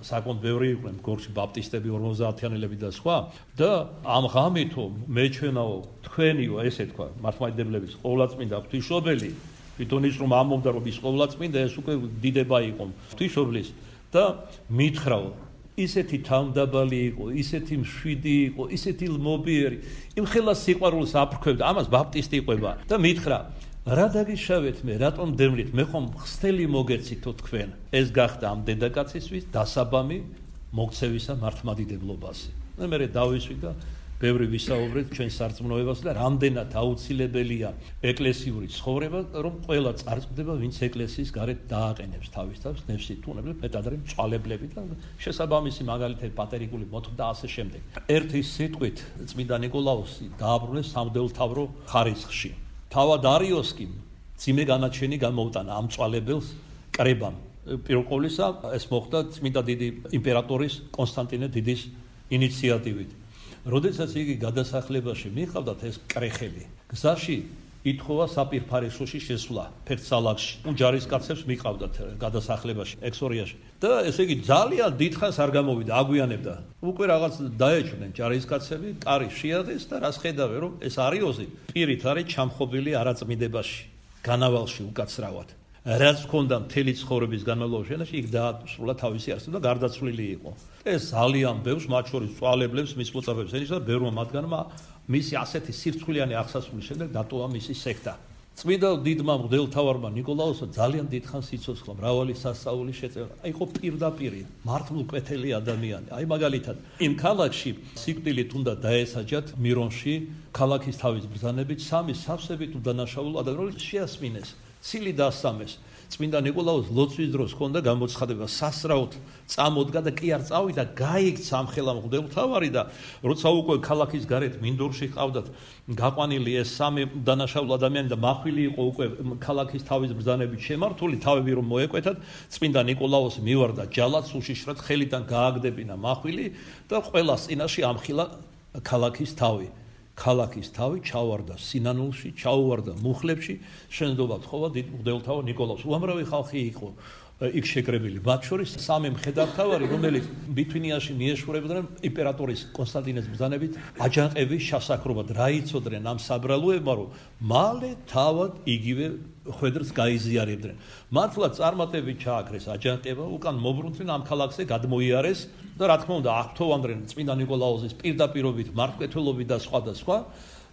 საკმაოდ ბევრი იყვნენ გორში ბაპტისტები, ორმოცდაათიანელები და სხვა და ამ ღამითო მეჩვენაო თქვენიო, ესე თქვა, მართლმადიდებლების ყოვლადწმინდა ღვთისმშობელი, თვითონ ის რომ ამბობდა რომ ის ყოვლადწმინდა, ეს უკვე დიდება იყო ღვთისმშობლის და მითხრაო, ისეთი თავმდაბალი იყო, ისეთი მშვიდი იყო, ისეთი ლმობიერი, იმ ხელას სიყვარულს აფრქვევდა, ამას ბაპტისტი იყვება და მითხრა, რა დაგიშავეთ მე, რატომ დემლით, მე ხომ ხსთელი მოგეცითო თქვენ. ეს გახდა ამ დედაკაცისთვის დასაბამი მოქცევისა მართლმადიდებლობაზე. და მე დავისვი და ბევრი ვისაუბრეთ ჩვენ სარწმუნოებას და რამდენად აუცილებელია ეკლესიური ცხოვრება, რომ ყველა წარწმდება, ვინც ეკლესიის გარეთ დააყენებს თავის თავს ნევსით, თუნდაც მეტადრე მწვალებლები და შესაბამისი მაგალითად პატერიკული მოთხოვნა და ასე შემდეგ. ერთი სიტყვით წმინდა ნიკოლაუსი დააბრუნეს სამღვდელმთავრო ხარისხში. თავად არიოსკი ძიმე განაჩენი გამოუტანა ამ მწვალებელს კრებამ. პირველ ყოვლისა ეს მოხდა წმინდა დიდი იმპერატორის კონსტანტინე დიდის ინიციატივით. როდესაც იგი გადასახლებაში მიყავდათ ეს კრეხელი, გზაში ითხოვა საპირფარეშოში შესვლა ფერცალაკში. ჯარისკაცებს მიყავდათ გადასახლებაში, ექსორიაში. და ესე იგი ძალიან დიდხანს არ გამოვიდა, აგვიანებდა. უკვე რაღაც დაეჭვნენ ჯარისკაცები, კარი შეადეს და რას ხედავენ, რომ ეს არიოზი პირით არის ჩამხობილი არაწმიდებაში, განავალში უკაცრავად. რაც ჰქონდა მთელი ცხოვრების განმავლობაში, იქ დაასრულა თავისი არსება და გარდაცვლილი იყო. ეს ძალიან ბევრს, მათ შორის წვალებლებს, მის მოწაფეებს ენიშნა, ბევრმა მათგანმა მისი ასეთი სირცხვილიანი აღსასრულის შემდეგ დატოვა მისი სექტა. წმინდა დიდმა მღვდელმთავარმა ნიკოლაოსმა ძალიან დიდხანს სიცოცხლა, მრავალი სასწაული შეწევნა. იყო პირდაპირ მართლმკვეთელი ადამიანი. აი მაგალითად, იმ ქალაქში სიკვდილით უნდა დაესაჯათ მირონში, ქალაქის თავის ბრძანებით სამი სავსებით უდანაშაულო ადამიანს შეასმინეს. ცილი დასამეს. წმინდა ნიკოლაოს ლოცვის დროს ჰქონდა გამოცხადება, სასწრაოდ წამოდგა და კი არ წავიდა, გაიქცა ამ ხელა მღვდელმთავარი და როცა უკვე ქალაქის გარეთ მინდორში ყავდათ გაყვანილი ეს სამი დანაშაულო ადამიანი და მახვილი იყო უკვე ქალაქის თავის ბრძანებით შემართული, თავები რომ მოეკვეთათ, წმინდა ნიკოლაოსი მივარდა ჯალად, უშიშრად ხელიდან გააგდებინა მახვილი და ყველას წინაშე ამხილა ქალაქის თავი. ქალაქის თავი ჩავარდა სინანულში, ჩაუვარდა მუხლებში, შენდობა თხოვა დიდ მღვდელმთავარ ნიკოლაოს. უამრავი ხალხი იყო იქ შეკრებილი. მათ შორის სამი მხედართმთავარი, რომელიც ბითვინიაში მიეშურებდნენ იმპერატორის კონსტანტინეს ბრძანებით აჯანყების შესაქმნელად, რა იცოდნენ ამ საბრალოებმა, რომ მალე თავად იგივე ხვედრს გაიზიარებდნენ. მართლა წარმატებით ჩააქრეს აჯანყება, უკან მობრუნდნენ ამ ქალაქზე, გადმოიარეს და რა თქმა უნდა, აღთოვანდნენ წმინდა ნიკოლაოსის პირდაპირობით, მართლმკეთელობით და სხვა და სხვა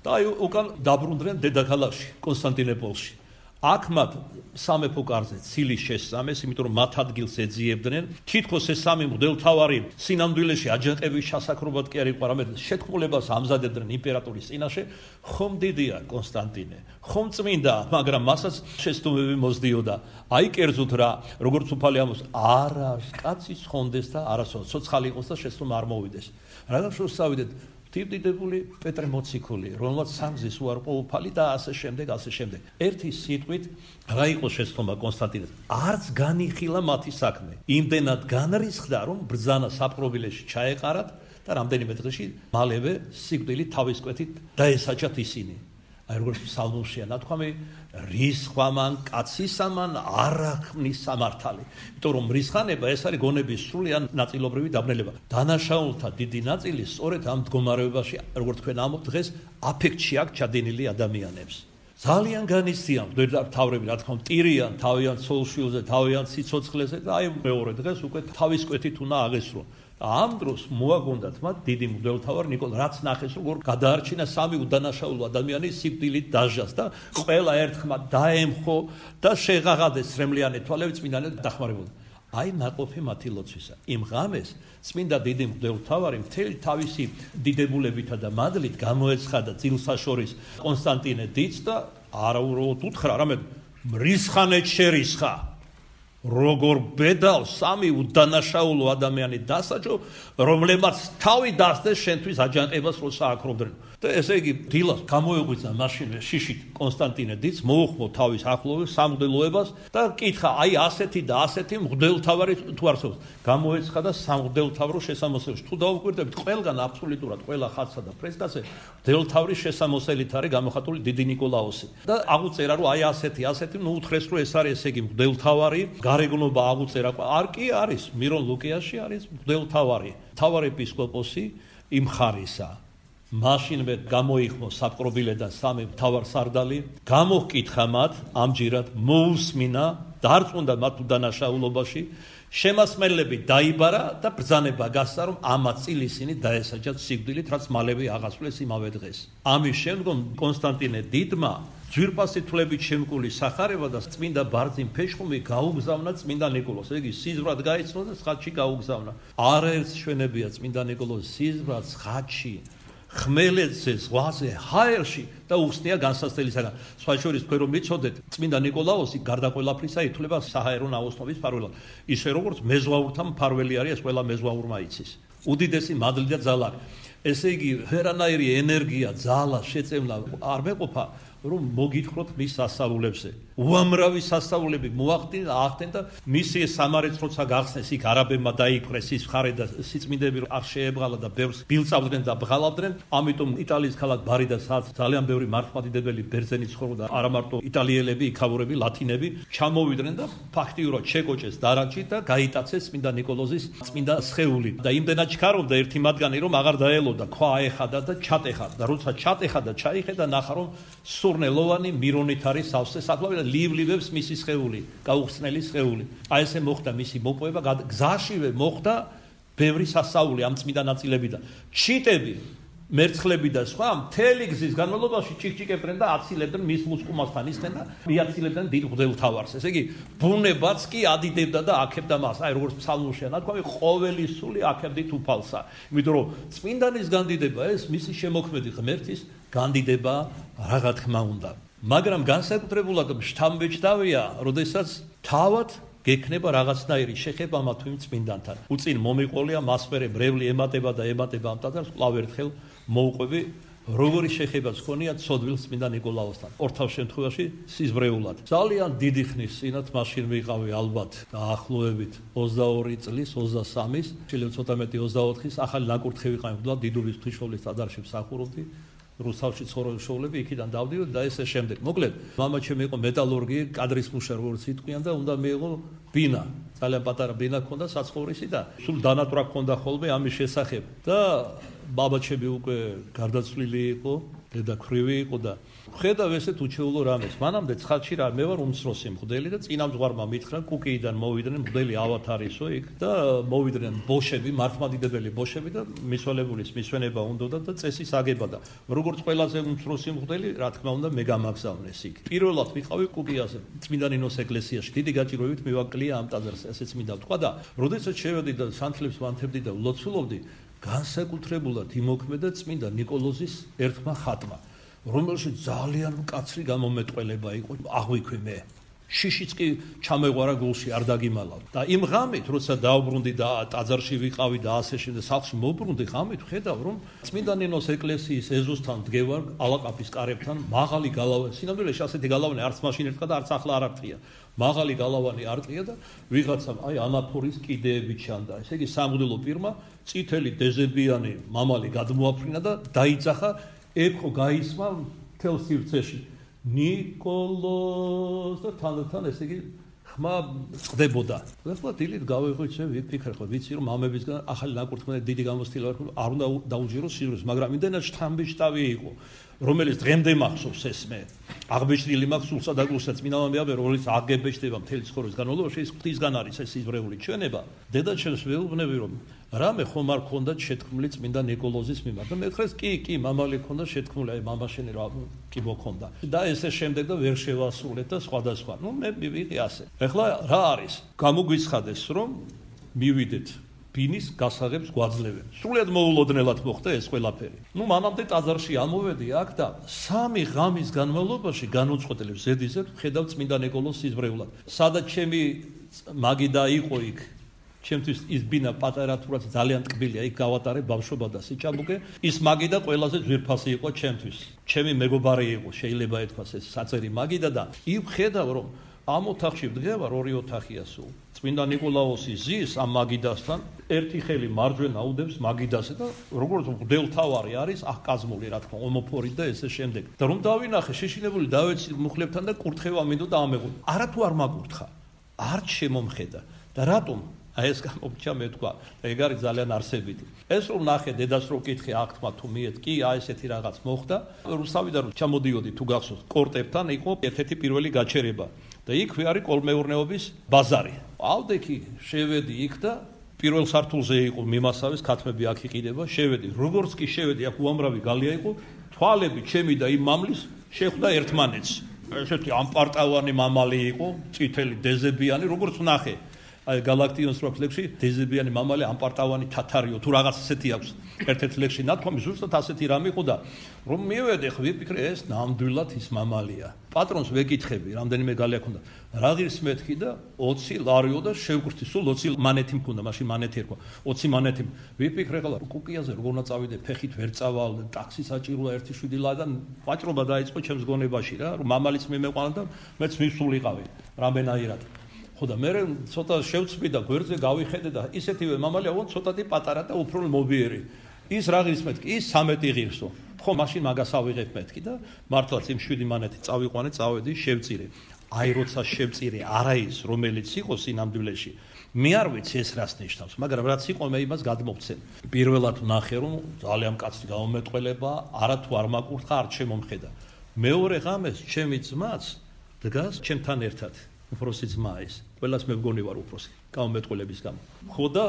და აი უკან დაბრუნდნენ დედაქალაქში, კონსტანტინოპოლში. აქ მათ სამეფო კარზე ცილი შესწამეს, იმიტომ რომ მათ ადგილს ეძიებდნენ. თითქოს ეს სამი მღვდელმთავარი სინამდვილეში აჯანყების შესაქმნელად კი არ იყო, არამედ შეთქმულებას ამზადებდნენ იმპერატორის წინაშე. ხომ დიდია კონსტანტინე, ხომ წმინდა, მაგრამ მასაც შეცდომები მოსდიოდა. აი კერძოდ რა, როგორც უფალი ამბობს, არა კაცის ხონდეს და არასოდეს ცოცხალი იყოს და შეცდომა არ მოვიდეს. რაღაც შორს წავიდეთ დიდებული პეტრე მოციქული, რომელსაც სამგზის უარყო უფალი და ასე შემდეგ, ასე შემდეგ. ერთი სიტყვით, რა იყო შეცდომა კონსტანტინეს? არც განიხილა მათი საქმე. იმდენად განრისხდა, რომ ბრძანა საპყრობილეში ჩაეყარათ და რამდენიმე დღეში მალევე სიკვდილით თავის კვეთით დაესაჯათ ისინი. აი როგორც ფსალმურშია ნათქვამი, რისხვამან კაცისამან არახმნის სამართალი. იმიტომ რომ რისხანება ეს არის გონების სრული ან ნაწილობრივი დაბნელება. დანაშაულთა დიდი ნაწილი სწორედ ამ მდგომარეობაში, როგორც თქვენ ამბობთ დღეს, აფექტში აქვს ჩადენილი ადამიანებს. ძალიან განიცდიან მღვდელმთავრები, რა თქმა უნდა, ტირიან თავიანთ ცოლ-შვილზე, თავიანთ სიცოცხლეზე და აი მეორე დღეს უკვე თავის კვეთით უნდა აღესრულონ. ამ დროს მოაგონდათ მათ დიდი მღვდელმთავარ ნიკოლას, რაც ნახეს, როგორ გადაარჩინა სამი უდანაშაულო ადამიანი სიკვდილით დაჟას და ყველა ერთხმად დაემხო და შეღაღადეს სრემლიანი თვალები წმინდანად დახმარებოდა. აი ნაყოფი მათი ლოცვისა. იმ ღამეს წმინდა დიდი მღვდელმთავარი მთელი თავისი დიდებულებითა და მადლით გამოეცხადა წილსაშორის კონსტანტინე დიდს და არაუბრალოდ უთხრა, არამედ მრისხანეთ შერისხა. როგორ ბედავს სამი უდანაშაულო ადამიანი დასაჯო, რომლებმაც თავი დასდეს შენთვის აჯანყებას როცა აკრობდნენ. და ესე იგი დილას გამოეღვიძა მაშინვე შიშით კონსტანტინე დიდს, მოუხმო თავის ახლოვეს სამღვდელოებას და კითხა, აი ასეთი და ასეთი მღვდელმთავარი თუ არსებობს. გამოეცხადა სამღვდელმთავრო შესამოსელში. თუ დაუკვირდებით, ყველგან აბსოლუტურად ყველა ხატსა და ფრესკაზე მღვდელმთავრის შესამოსელით არის გამოხატული დიდი ნიკოლაოსი. და აღუწერა, რომ აი ასეთი, ასეთი, ნუ უთხრეს, რომ ეს არის ესე იგი მღვდელმთავარი. გარეგნობა აღუწერა, არ კი არის, მირონ ლუკიაში არის მღვდელმთავარი, მთავარ ეპისკოპოსი იმ ხარისა. მაშინვე გამოიხმო საპყრობილედან სამი მთავარსარდალი, გამოჰკითხა მათ, ამჯერად მოусმინა, დარწმუნდა მათ უდანაშაულობაში, შემასმელები დაიბარა და ბრძანება გასცა, რომ ამათ წილ ისინი დაესაჯათ სიკვდილით, რაც მალევე აღასრულეს იმავე დღეს. ამის შემდგომ კონსტანტინე დიდმა ძვირფასი თვლებით შემკული სახარება და წმინდა ბარძიმ ფეშხუმი გაუგზავნა წმინდა ნიკოლოს. იგი სიზვრად გაიცნო და ხატში გაუგზავნა. არაერთ შვენებია წმინდა ნიკოლოს სიზვრად ხატში, ხმელეთზე, ზღვაზე, ჰაერში და უხსნია განსასწელისაგან. სხვა შორის თქვენ რომ მიცოდეთ, წმინდა ნიკოლაოსი გარდა ყველაფრისა ითვლება საჰაერო ნაოსნობის მფარველად. ისე როგორც მეზღვაურთა მფარველი არის, ეს ყველა მეზღვაურმა იცის. უდიდესი მადლი და ძალა. ესე იგი, ვერანაირი ენერგია, ძალა, შეწევნა არ მეყოფა, რომ მოგითხროთ მის სასწაულებზე. უამრავი სასწაულები მოახდინა, აახდენ და მისი სამარեց როცა გახსნეს იქ არაბებმა დაიფრეს ის ხარე და სიწმინდები არ შეებღალა და ბევრს ბილწავდნენ და ბღალავდნენ. ამიტომ იტალიის ქალაქ ბარიდა სადაც ძალიან ბევრი მართლმადიდებელი ბერძენი ცხოვრობდა, არა მარტო იტალიელები, იქაურები, ლათინები ჩამოვიდნენ და ფაქტიურად შეკოჭეს დარაჯი და გაიტაცეს წმინდა ნიკოლოზის წმინდა სხეული. და იმდენად ჩქარობდა ერთი მათგანი, რომ აღარ დაელოდა, ქვა აეხადა და ჩატეხა და როცა ჩატეხა და ჩაიხედა, ნახა რომ სურნელოვანი მირონით არის სავსე საკლავი და ლივლივებს მისი სხეული, გაუხსნელი სხეული. აი ესე მოხდა მისი მოპოვება, გზაშივე მოხდა ბევრი სასწაული ამ წმინდა ნაწილებიდან. ჩიტები, მერცხლები და სხვა მთელი გზის განმავლობაში ჭიქჭიქებდნენ და აცილებდნენ მის ლუსკუმასთან ისხდნენ და მიაცილებდნენ დიდ მღვდელთავარს. ესე იგი, ბუნებაც კი ადიდებდა და აქებდა მას. აი როგორც ფსალმურშია ნათქვამი, ყოველი სული აქებდით უფალსა. იმიტომ რომ წმინდანის განდიდება ეს მისი შემოქმედი ღმერთის განდიდება რაღა თქმა უნდა. მაგრამ განსაკუთრებულად შთამბეჭდავია, როდესაც თავად გექნება რაღაცნაირი შეხება მათ იმ წმინდანთან. უწინ მომიყოლია მასმერე ბრევლი ემატება და ემატება ამ ტაძარს, კვლავ ერთხელ მოუყვები, როგორი შეხებაც ჰქონია ცოდვილ წმინდა ნიკოლაოსთან. ორთავ შემთხვევაში სიზბრეულად. ძალიან დიდი ხნის წინათ მაშინ ვიყავი ალბათ დაახლოებით ოცდაორი წლის, ოცდასამის, შეიძლება ცოტა მეტი ოცდაოთხის, ახალი ნაკურთხი ვიყავი, დიდუბის ღვთისმშობლის ტაძარში მსახურობდი. რუსთავში ცხოვრობდი შოვლები, იქიდან დავდივდი და ესე შემდეგ. მოკლედ, მამა ჩემი იყო მეტალურგი, კადრის მუშა როგორც იტყვიან და უნდა მიიღო ბინა. ძალიან პატარა ბინა ჰქონდა საცხოვრისი და სულ დანატრა ჰქონდა ხოლმე ამის შესახებ. და ბაბა ჩემი უკვე გარდაცვლილი იყო, დედა ქვრივი იყო და ხედავ ესეთ უჩვეულო რამეს. მანამდე ცხადში რა მე ვარ უმცროსი მღვდელი და წინამძღვარმა მითხრა კუკიიდან მოვიდნენ მღვდელი ავათარისო იქ და მოვიდნენ ბოშები, მართლმადიდებელი ბოშები და მისვალებულის მისვენება უნდოდა და წესის აგება და როგორც ყველაზე უმცროსი მღვდელი, რა თქმა უნდა, მე გამაგზავნეს იქ. პირველად ვიყავი კუკიაზე, წმინდა ნინოს ეკლესიაში. დიდი გაჭირვებით მივაკლია ამ ტაძარს, ესეც მინდა ვთქვა და როდესაც შევედი და სანთლებს ვანთებდი და ვლოცულობდი, განსაკუთრებულად იმოქმედა წმინდა ნიკოლოზის ერთმა ხატმა, რომელშიც ძალიან მკაცრი გამომეტყველება იყო, აღვიქვი მე. შიშიც კი ჩამეღვარა გულში, არ დაგიმალავ. და იმ ღამით, როცა დავბრუნდი და ტაძარში ვიყავი და ასე შემდეგ, სახლში მოვბრუნდი, ღამით ვხედავ, რომ წმინდა ნინოს ეკლესიის ეზოსთან დგევარ, ალაყაფის კარებთან, მაღალი გალავანი, სინამდვილეში ასეთი გალავანი არც მაშინ ერთხა და არც ახლა არ არწია. მაღალი გალავანი არტყია და ვიღაცამ აი ანაფორის კიდეები ჩანდა. ესე იგი, სამღვდელო პირმა წითელი დეზებიანი მამალი გადმოაფრინა და დაიძახა, ექო გაისმა მთელ სივრცეში. ნიკოლოზ და თანდათან ესე იგი ხმა წდებოდა. ეხლა დილით გავიღვიჩე, ვიფიქრე ხო, ვიცი რომ მამებისგან ახალი ნაკურთხმელი დიდი გამოცდილება აქვს, არ უნდა დაუჯეროს სიზრუს, მაგრამ იმდენად შთამბეჭდავი იყო, რომელიც დღემდე მახსოვს ეს მე. აღბეჭდილი მაქვს სულსა და გულსა წმინდა მამებია, რომელიც აგებეჭდება მთელი ცხოვრების განმავლობაში, ეს ღვთისგან არის ეს სიზრეული ჩვენება. დედა ჩემს ვეუბნები რომ რამე ხომ არ ქონდა შეთქმული წმინდა ნიკოლოზის მიმართ. და მეთხრეს კი, კი, მამალი ქონდა შეთქმული, აი მამაშენი რა კი მოქონდა. და ესე შემდეგ და ვერ შევასრულეთ და სხვადასხვა. ნუ მე მივიღე ასე. ეხლა რა არის? გამოგვიცხადეს რომ მივიდეთ ბინის გასაღებს გვაძლევენ. სრულიად მოულოდნელად მოხდა ეს ყველაფერი. ნუ მანამდე ტაძარში ამოვედი აქ და სამი ღამის განმავლობაში განუწყვეტლებ ზედიზედ ხედავ წმინდა ნიკოლოზს სიზბრეულად. სადაც ჩემი მაგიდა იყო იქ. ჩემთვის ის ბინა პატარა თურაც ძალიან ტკბილია, იქ გავატარე ბავშვობა და სიჭაბუკე. ის მაგიდა ყველაზე ძვირფასი იყო ჩემთვის. ჩემი მეგობარი იყო, შეიძლება ეთქვას ეს საწერი მაგიდა და იქ ხედავ რომ ამ ოთახში ვდგევარ, ორი ოთახია სულ. წმინდა ნიკოლაოსი ზის ამ მაგიდასთან, ერთი ხელი მარჯვენა უდევს მაგიდასე და როგორც მღვდელთავარი არის აღკაზმული, რა თქმა, ომოფორით და ესე შემდეგ. და რომ დავინახე, შეშინებული დავეცი მუხლებთან და კურთხევა მინდოდა ამეღო. არა თუ არ მაგურთხა, არ შემომხედა. და რატომ? აი ეს გამომჩა მე თქვა, ეგ არის ძალიან არსებითი. ეს რომ ნახე დედას რო კითხე აქთმა თუ მიეთ, კი, აი ესეთი რაღაც მოხდა. რუსთავიდან რომ ჩამოდიოდი თუ გახსოვს, კორტებთან იყო ერთ-ერთი პირველი გაჩერება. და იქვე არის კოლმეურნეობის ბაზარი. ავდექი შევედი იქ და პირველ სართულზე იყო მიმასავის ქათმები აქ იყიდება, შევედი. როგორც კი შევედი, აქ უამრავი გალია იყო, თვალები ჩემი და იმ მამლის შეხვდა ერთმანეთს. ესეთი ამპარტავანი მამალი იყო, წითელი დეზებიანი, როგორც ვნახე. აი გალაქტიონს რო ლექსი დეზებიანი მამალი ამპარტავანი თათარიო თუ რაღაც ესეთი აქვს ერთ-ერთ ლექსი ნათქვამი ზუსტად ასეთი რამე იყო და რომ მივედე ხო ვიფიქრე ეს ნამდვილად ის მამალია პატრონს ვეკითხები რამდენიმე გალი აქვს რა ღირს მეთქი და ოცი ლარიო და შევკრთი სულ ოცი მანეთი მქონდა მაშინ მანეთი ერქვა ოცი მანეთი ვიფიქრე ხოლმე კუკიაზე როგორ უნდა წავიდე ფეხით ვერ წავალ ტაქსი საჭიროა ერთი შვიდი ლა და ვაჭრობა დაიწყო ჩემს გონებაში რა რომ მამალიც მიმეყვანა და მეც მისულიყავი რამდენაირად ხო და მე ცოტა შევწვი და გვერდზე გავიხედე და ისეთივე მამალია ვон ცოტათი პატარა და უფრო მობიერი ის რა ღირს მეთქი ის სამეტი ღირსო ხო მაშინ მაგას ავიღებ მეთქი და მართლაც იმ შვიდი მანეთი წავიყვანე წავედი შევწირე აი როცა შევწირე არა ის რომელიც იყო სინამდვილეში მე არ ვიცი ეს რას ნიშნავს მაგრამ რაც იყო მე იმას გადმოვცემ პირველად ვნახე რომ ძალიან კაცი გამომეტყველება არა თუ არ მაკურთხა არ შემომხედა მეორე ღამეს ჩემი ძმაც დგას ჩემთან ერთად უფროსი ძმა ის ყველას მე მგონი ვარ უფროსი გამომეტყველების გამო ხო და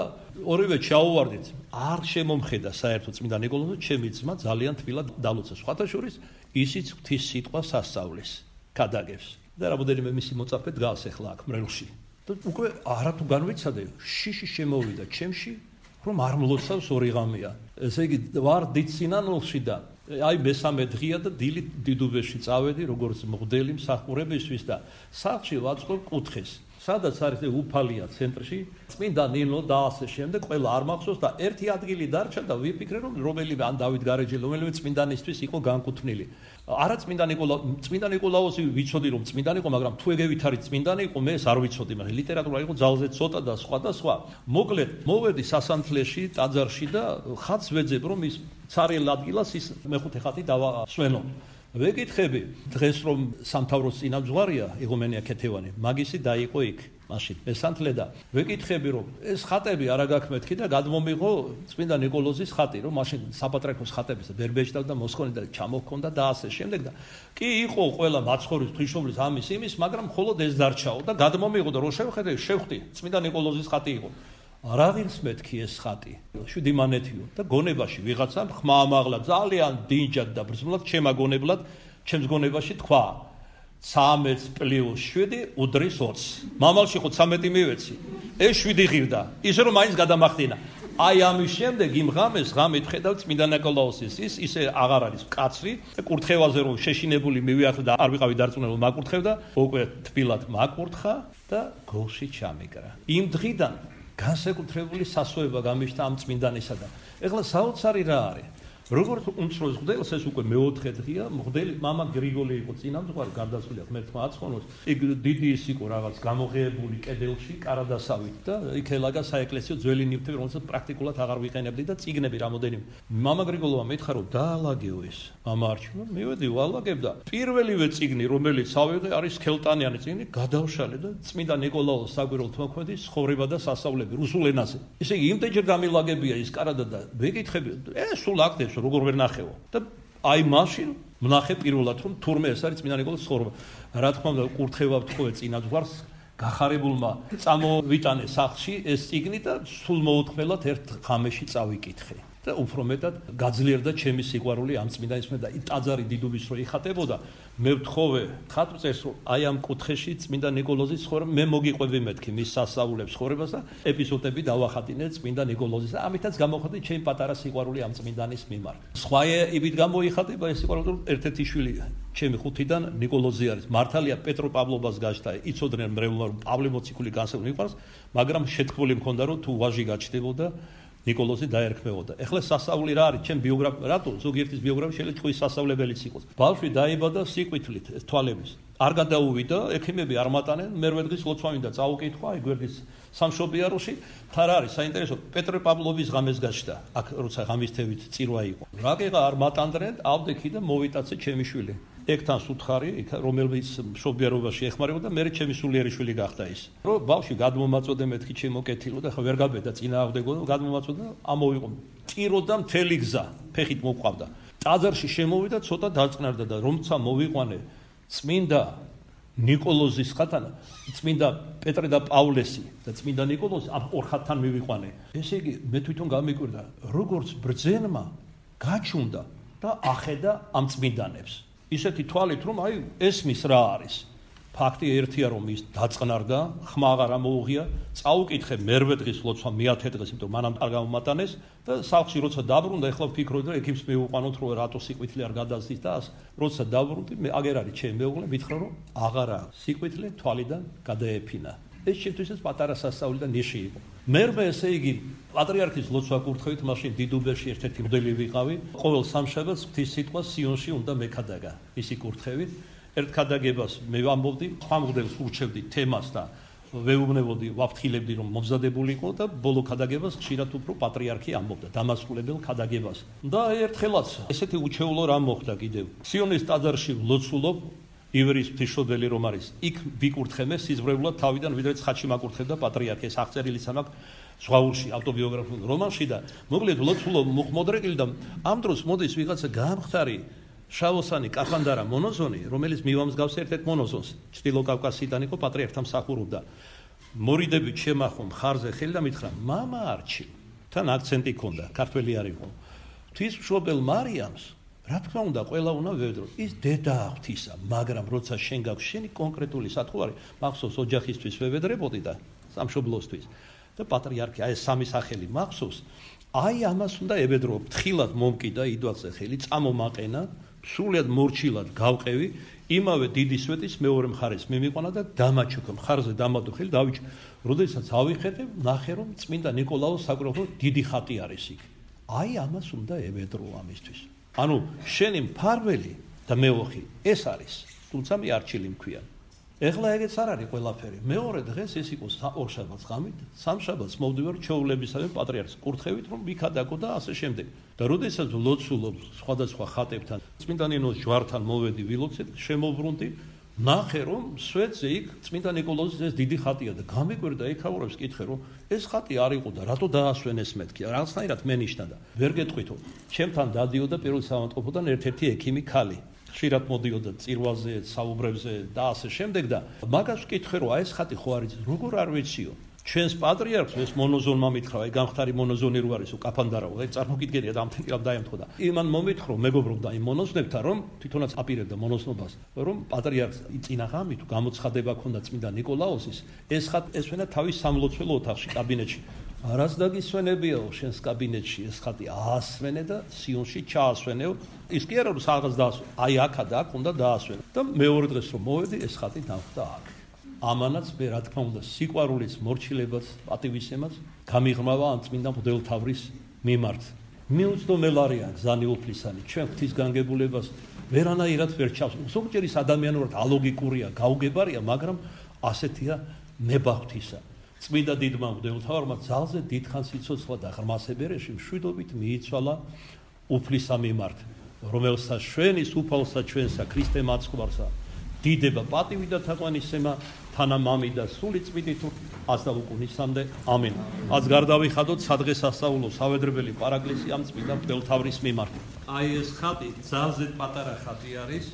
ორივე ჩაუვარდით არ შემომხედა საერთოდ წმინდა ნიკოლოზი ჩემი ძმა ძალიან თბილად დალოცა სხვათა შორის ისიც ღვთის სიტყვას ასწავლის გადაგებს და რამოდენიმე მისი მოწაფე დგას ახლა აქ მრევლში და უკვე არა თუ განვიცადე შიში შემოვიდა ჩემში რომ არ მლოცავს ორი ღამეა ესე იგი ვარ დიცინანულში და აი მესამე დღეა და დილით დიდუბეში წავედი როგორც მღვდელი მსახურებისთვის და სახლში ვაწყობ კუთხეს სადაც არის უფალია ცენტრში წმინდა ნინო და ასე შემდეგ ყველა არ მახსოვს და ერთი ადგილი დარჩა და ვიფიქრე რომ რომელიმე ან დავით გარეჯელი რომელიმე წმინდანისთვის იყო განკუთვნილი არა წმინდა ნიკოლა წმინდა ნიკოლაოსი ვიცოდი რომ წმინდანი იყო მაგრამ თუ ეგევით არის წმინდანი იყო მე ეს არ ვიცოდი მაგრამ ლიტერატურა იყო ძალზე ცოტა და სხვა და სხვა მოკლედ მოვედი სასანთლეში ტაძარში და ხატს ვეძებ რომ ის ცარიელ ადგილას ის მეხუთე ხატი დავასვენო ვეკითხები დღეს რომ სამთავროს წინამძღვარია იღუმენია ქეთევანი მაგისი დაიყო იქ მაშინ მესანთლე და ვეკითხები რომ ეს ხატები არა გაქმეთქი და გადმომიღო წმინდა ნიკოლოზის ხატი რომ მაშინ საპატრიარქოს ხატების ბერბეჭდავ და მოსქონი და ჩამოჰქონდა და ასე შემდეგ და კი იყო ყველა მაცხოვრის ღვთისმშობლის ამის იმის მაგრამ მხოლოდ ეს დარჩაო და გადმომიღო და რო შევხედე შევხვდი წმინდა ნიკოლოზის ხატი იყო რა ღირს მეთქი ეს ხატი შვიდი მანეთიო და გონებაში ვიღაცამ ხმა ამაღლა ძალიან დინჯად და ბრძნულად ჩემაგონებლად ჩემს გონებაში თქვა ცამეტ პლუს შვიდი უდრის ოცი მამალში ხო ცამეტი მივეცი ეს შვიდი ღირდა ისე რომ მაინც გადამახდინა აი ამის შემდეგ იმ ღამეს ღამით ხედავ წმინდა ნიკოლაოსის ის ისე აღარ არის კაცრი და კურთხევაზე რომ შეშინებული მივიახლე და არ ვიყავი დარწმუნებული მაკურთხევდა უკვე თბილად მაკურთხა და გულში ჩამიკრა იმ დღიდან განსაკუთრებული სასოება გამიშთა ამ წმინდანისა და ეხლა საოცარი რა არის როგორც უმცროს მღვდელს ეს უკვე მეოთხე დღეა მღვდელი მამა გრიგოლი იყო წინამძღვარი გარდაცვლილია ღმერთმა აცხონოს იქ დიდი ის იყო რაღაც გამოღებული კედელში კარადასავით და იქ ელაგა საეკლესიო ძველი ნივთები რომელსაც პრაქტიკულად აღარ ვიყენებდი და წიგნები რამოდენიმე მამა გრიგოლმა მითხრა რომ დაალაგეო ეს მამა არჩინა მივედი ვალაგებ და პირველივე წიგნი რომელიც ავიღე არის ქელტანიანი წიგნი გადავშალე და წმინდა ნიკოლაოს საგვირელთ მოქმედის ცხოვრება და სასწაულები რუსულ ენაზე ესე იგი იმდენჯერ გამილაგებია ის კარადა და ვეკითხები ეს სულ აქტებს როგორ ვერ ნახეო და აი მაშინ ვნახე პირველად რომ თურმე ეს არის წმინდა ნიკოლოზის ცხოვრება რა თქმა უნდა კურთხევა ვთხოვე წინაძღვარს გახარებულმა წამოვიტანე სახლში ეს წიგნი და სულ მოუთმელად ერთ ღამეში წავიკითხე და უფრო მეტად გაძლიერდა ჩემი სიყვარული ამ წმინდანის მე და ტაძარი დიდუბის რო იხატებოდა მე ვთხოვე ხატმწერს რომ აი ამ კუთხეში წმინდა ნიკოლოზის ცხოვრება მე მოგიყვები მეთქი მის სასწაულებს ცხოვრებას და ეპიზოდები დავახატინე წმინდა ნიკოლოზის და ამითაც გამოხატე ჩემი პატარა სიყვარული ამ წმინდანის მიმართ სხვა იბით გამოიხატება ეს სიყვარული ერთ-ერთი შვილი ჩემი ხუთიდან ნიკოლოზი არის მართალია პეტროპავლობას გაჩნდა იცოდნენ მრევლმა რომ პავლე მოციქული განსაკუთრებით მიყვარს მაგრამ შეთქმული მქონდა რომ თუ ვაჟი გაჩნდებოდა ნიკოლოზი დაერქმეოდა. ეხლა სასწაული რა არის? ჩემ ბიოგრაფია, რატო ზოგიერთის ბიოგრაფია შეიძლება თქვის სასწავლებელიც იყოს. ბავშვი დაიბადა სიყვითლით, თვალების. არ გადაუვიდა, ექიმები არ მატანენ, მერვე დღის ლოცვა მინდა წაუკითხვა, აი გვერდის სამშობიაროში. თან არის საინტერესო პეტროპავლობის ღამეს გაჩნდა. აქ როცა ღამისთევით წირვა იყო. რაგეღა არ მატანდნენ, ავდექი და მოვიტაცე ჩემი შვილი. ეგთან სუთხარი, რომელიც მშობიარობაში ეხმარებოდა, მე ჩემი სულიერი შვილი გახდა ის. რომ ბავშვი გადმომაწოდე მეთქი ჩემო კეთილო და ხა ვერ გაბედა წინააღმდეგო და გადმომაწოდა, ამოვიყო. წიროდა მთელი გზა, ფეხით მოყვავდა. ტაძარში შემოვიდა, ცოტა დაწყნარდა და რომცა მოვიყვანე წმინდა ნიკოლოზის ხატანა, წმინდა პეტრე და პავლესი და წმინდა ნიკოლოზი ამ ორ ხატთან მივიყვანე. ესე იგი, მე თვითონ გამიკვირდა, როგორც ბრძენმა გაჩუნდა და ახედა ამ წმინდანებს. ისეთი თვალით რომ აი ესმის რა არის ფაქტი ერთია, რომ ის დაწყნარდა, ხმა აღარ ამოუღია, წაუკითხე მერვე დღის ლოცვა მეათე დღეს, იმიტომ მანამ არ გამომატანეს და სახლში როცა დაბრუნდა, ეხლა ვფიქრობ და ექიმს მივუყვანოთ, რომ რატო სიკვითლე არ გადასდის და როცა დაბრუნდი, მე აგერ არის ჩემი მეუღლე, მითხრა რომ აღარა სიკვითლე თვალიდან გადაეფინა. ეს შემთხვევაშიც პატარა სასწაული და ნიში იყო. მერვე ესე იგი პატრიარქის ლოცვა კურთხევით, მაშინ დიდუბერში ერთ-ერთი მდელი ვიყავი, ყოველ სამშაბათს ღვთის სიტყვა სიონში უნდა მეკადაგა, ისი კურთხევით. ერთ ქადაგებას მე ვამბობდი, სხვა მღვდელს ურჩევდი თემას და ვეუბნებოდი, ვაფრთხილებდი რომ მომზადებული იყო და ბოლო ქადაგებას ხშირად უფრო პატრიარქი ამბობდა დამასრულებელ ქადაგებას. და ერთხელაც ესეთი უჩვეულო რამ მოხდა კიდევ. სიონის ტაძარში ვლოცულობ ივრის ღვთისმშობელი რომ არის, იქ ვიკურთხე მე სიზღვრებლად თავიდან, ვიდრე ცხადში მაკურთხებდა პატრიარქი, ეს აღწერილიც ამაქვს ზღვაურში, ავტობიოგრაფიულ რომანში და მოკლედ ვლოცულობ მუხმოდრეკილი და ამ დროს მოდის ვიღაცა გამხდარი შავოსანი კაფანდარა მონოზონი, რომელიც მივამსგავს ერთ-ერთ მონოზონს, ჩრდილო კავკასიიდან იყო პატრიარქთან მსახურობდა. მორიდებით შემახო მხარზე ხელი და მითხრა: "მამა არჩი", თან აქცენტი ჰქონდა, ქართველი არ იყო. "ღვთისმშობელ მარიამს, რა თქმა უნდა, ყველა უნდა ვევედრო. ის დედაა ღვთისა, მაგრამ როცა შენ გაქვს შენი კონკრეტული სათხოვარი, მახსოვს ოჯახისთვის ვევედრებოდი და სამშობლოსთვის." და პატრიარქი აი ეს სამი სახელი მახსოვს. აი ამას უნდა ევედრო, ფრთხილად მომკიდა იდვალზე ხელი, წამომაყენა, სრულიად მორჩილად გავყევი, იმავე დიდი სვეტის მეორე მხარეს მიმიყვანა და დამაჩუქა მხარზე დამადო ხელი დავიჭ. როდესაც ავიხედე, ნახე რომ წმინდა ნიკოლაოს საკურთხეველ დიდი ხატი არის იქ. აი ამას უნდა ევედრო ამისთვის. ანუ შენი მფარველი და მეოხი ეს არის, თუმცა მე არჩილი მქვია. ეხლა ეგეც არ არის ყველაფერი. მეორე დღეს ეს იყო ორშაბათს ღამით, სამშაბათს მოვდივარ ჩვეულებისავე პატრიარქს კურთხევით, რომ ვიქადაგო და ასე შემდეგ. და როდესაც ვლოცულობ სხვადასხვა ხატებთან, წმინდა ნინოს ჯვართან მოვედი ვილოცეთ, შემოვრუნდი, ნახე რომ სვეტზე იქ წმინდა ნიკოლოზის ეს დიდი ხატია და გამიკვირდა ეკავრებს კითხე რომ ეს ხატი არ იყო და რატო დაასვენეს მეთქი, რაღაცნაირად მენიშნა და ვერ გეტყვითო. ჩემთან დადიოდა პირველ საავადმყოფოდან ერთ-ერთი ექიმი ქალი. ხშირად მოდიოდა წირვაზე, საუბრებზე და ასე შემდეგ და მაგას ვკითხე რომ აი ეს ხატი ხო არის, როგორ არ ვიციო. ჩვენს პატრიარქს ეს მონოზონმა მითხრა, აი გამხდარი მონოზონი რო არისო, კაფანდარაო, აი წარმოგიდგენია და ამთენილ დაემთხო და იმან მომითხრა, მეგობრობდა იმ მონოზნებთან, რომ თვითონაც აპირებდა მონოზნობას, რომ პატრიარქს წინა ღამით გამოცხადება ქონდა წმინდა ნიკოლაოსის, ეს ხატ ესვენა თავის სამლოცველო ოთახში, კაბინეტში. არას დაგისვენებიაო შენს კაბინეტში ეს ხატი აასვენე და სიონში ჩაასვენეო. ის კი არა რომ რაღაც დაასვენე, აი აქა და აქ უნდა დაასვენო. და მეორე დღეს რომ მოვედი, ეს ხატი დავხვდა აქ. ამანაც მე რა თქმა უნდა სიყვარულის მორჩილებას, პატივისცემას გამიღრმავა ამ წმინდა მღვდელთავრის მიმართ. მიუწვდომელია გზანი უფლისანი, ჩვენ ღვთის განგებულებას ვერანაირად ვერ ჩავს. ზოგჯერ ის ადამიანურად ალოგიკურია, გაუგებარია, მაგრამ ასეთია ნება ღვთისა. წმინდა დიდმა მღვდელთავარმა ძალზე დიდხანს იცოცხლა და ღრმასებერეში მშვიდობით მიიცვალა უფლისა მიმართ, რომელსაც ჩვენის უფალსა ჩვენსა ქრისტე მაცხვარსა დიდება, პატივი და თაყვანისცემა თანამამი და სული წმინდით ასდაუკუნისამდე. ამინ. ას გარდავიხადოთ სადღესასწაულო სავედრებელი პარაკლისი ამ წმინდა მღვდელთავრის მიმართ. აი ეს ხატი ძალზე პატარა ხატი არის.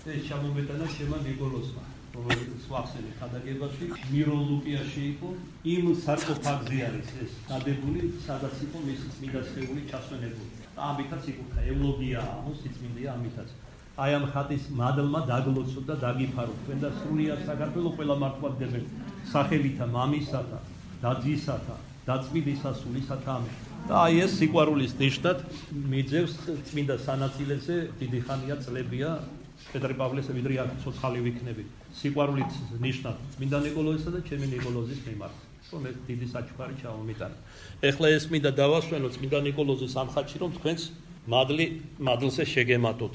ეს ჩამომეტანა შემა ნიკოლოზმა. რომელიც ვახსენე ქადაგებაში მიროლუკიაში იყო, იმ სარკოფაგზე არის ეს გადებული, სადაც იყო მისი წმინდა სხეული ჩასვენებული. ამითაც იკურთხა ევლოგია, მოსიწმინდია ამითაც. აი ამ ხატის მადლმა დაგლოცოთ და დაგიფარო თქვენ და სრულიად საქართველოს ყველა მართლმადიდებელ სახელითა მამისათა და ძისათა და წმინდისა სულისათა ამინ. და აი ეს სიყვარულის ნიშნად მიძევს წმინდა სანაწილეზე დიდი ხანია წლებია პეტრე პავლესა ვიდრე აქ ცოცხალი ვიქნები. სიყვარულის ნიშნად წმინდა ნიკოლოზისა და ჩემი ნიკოლოზის მიმართ. რომ ეს დიდი საჩუქარი ჩავომიტანა. ეხლა ეს მინდა დავასვენო წმინდა ნიკოლოზის ამ ხატში, რომ თქვენს მადლი მადლზე შეგემატოთ.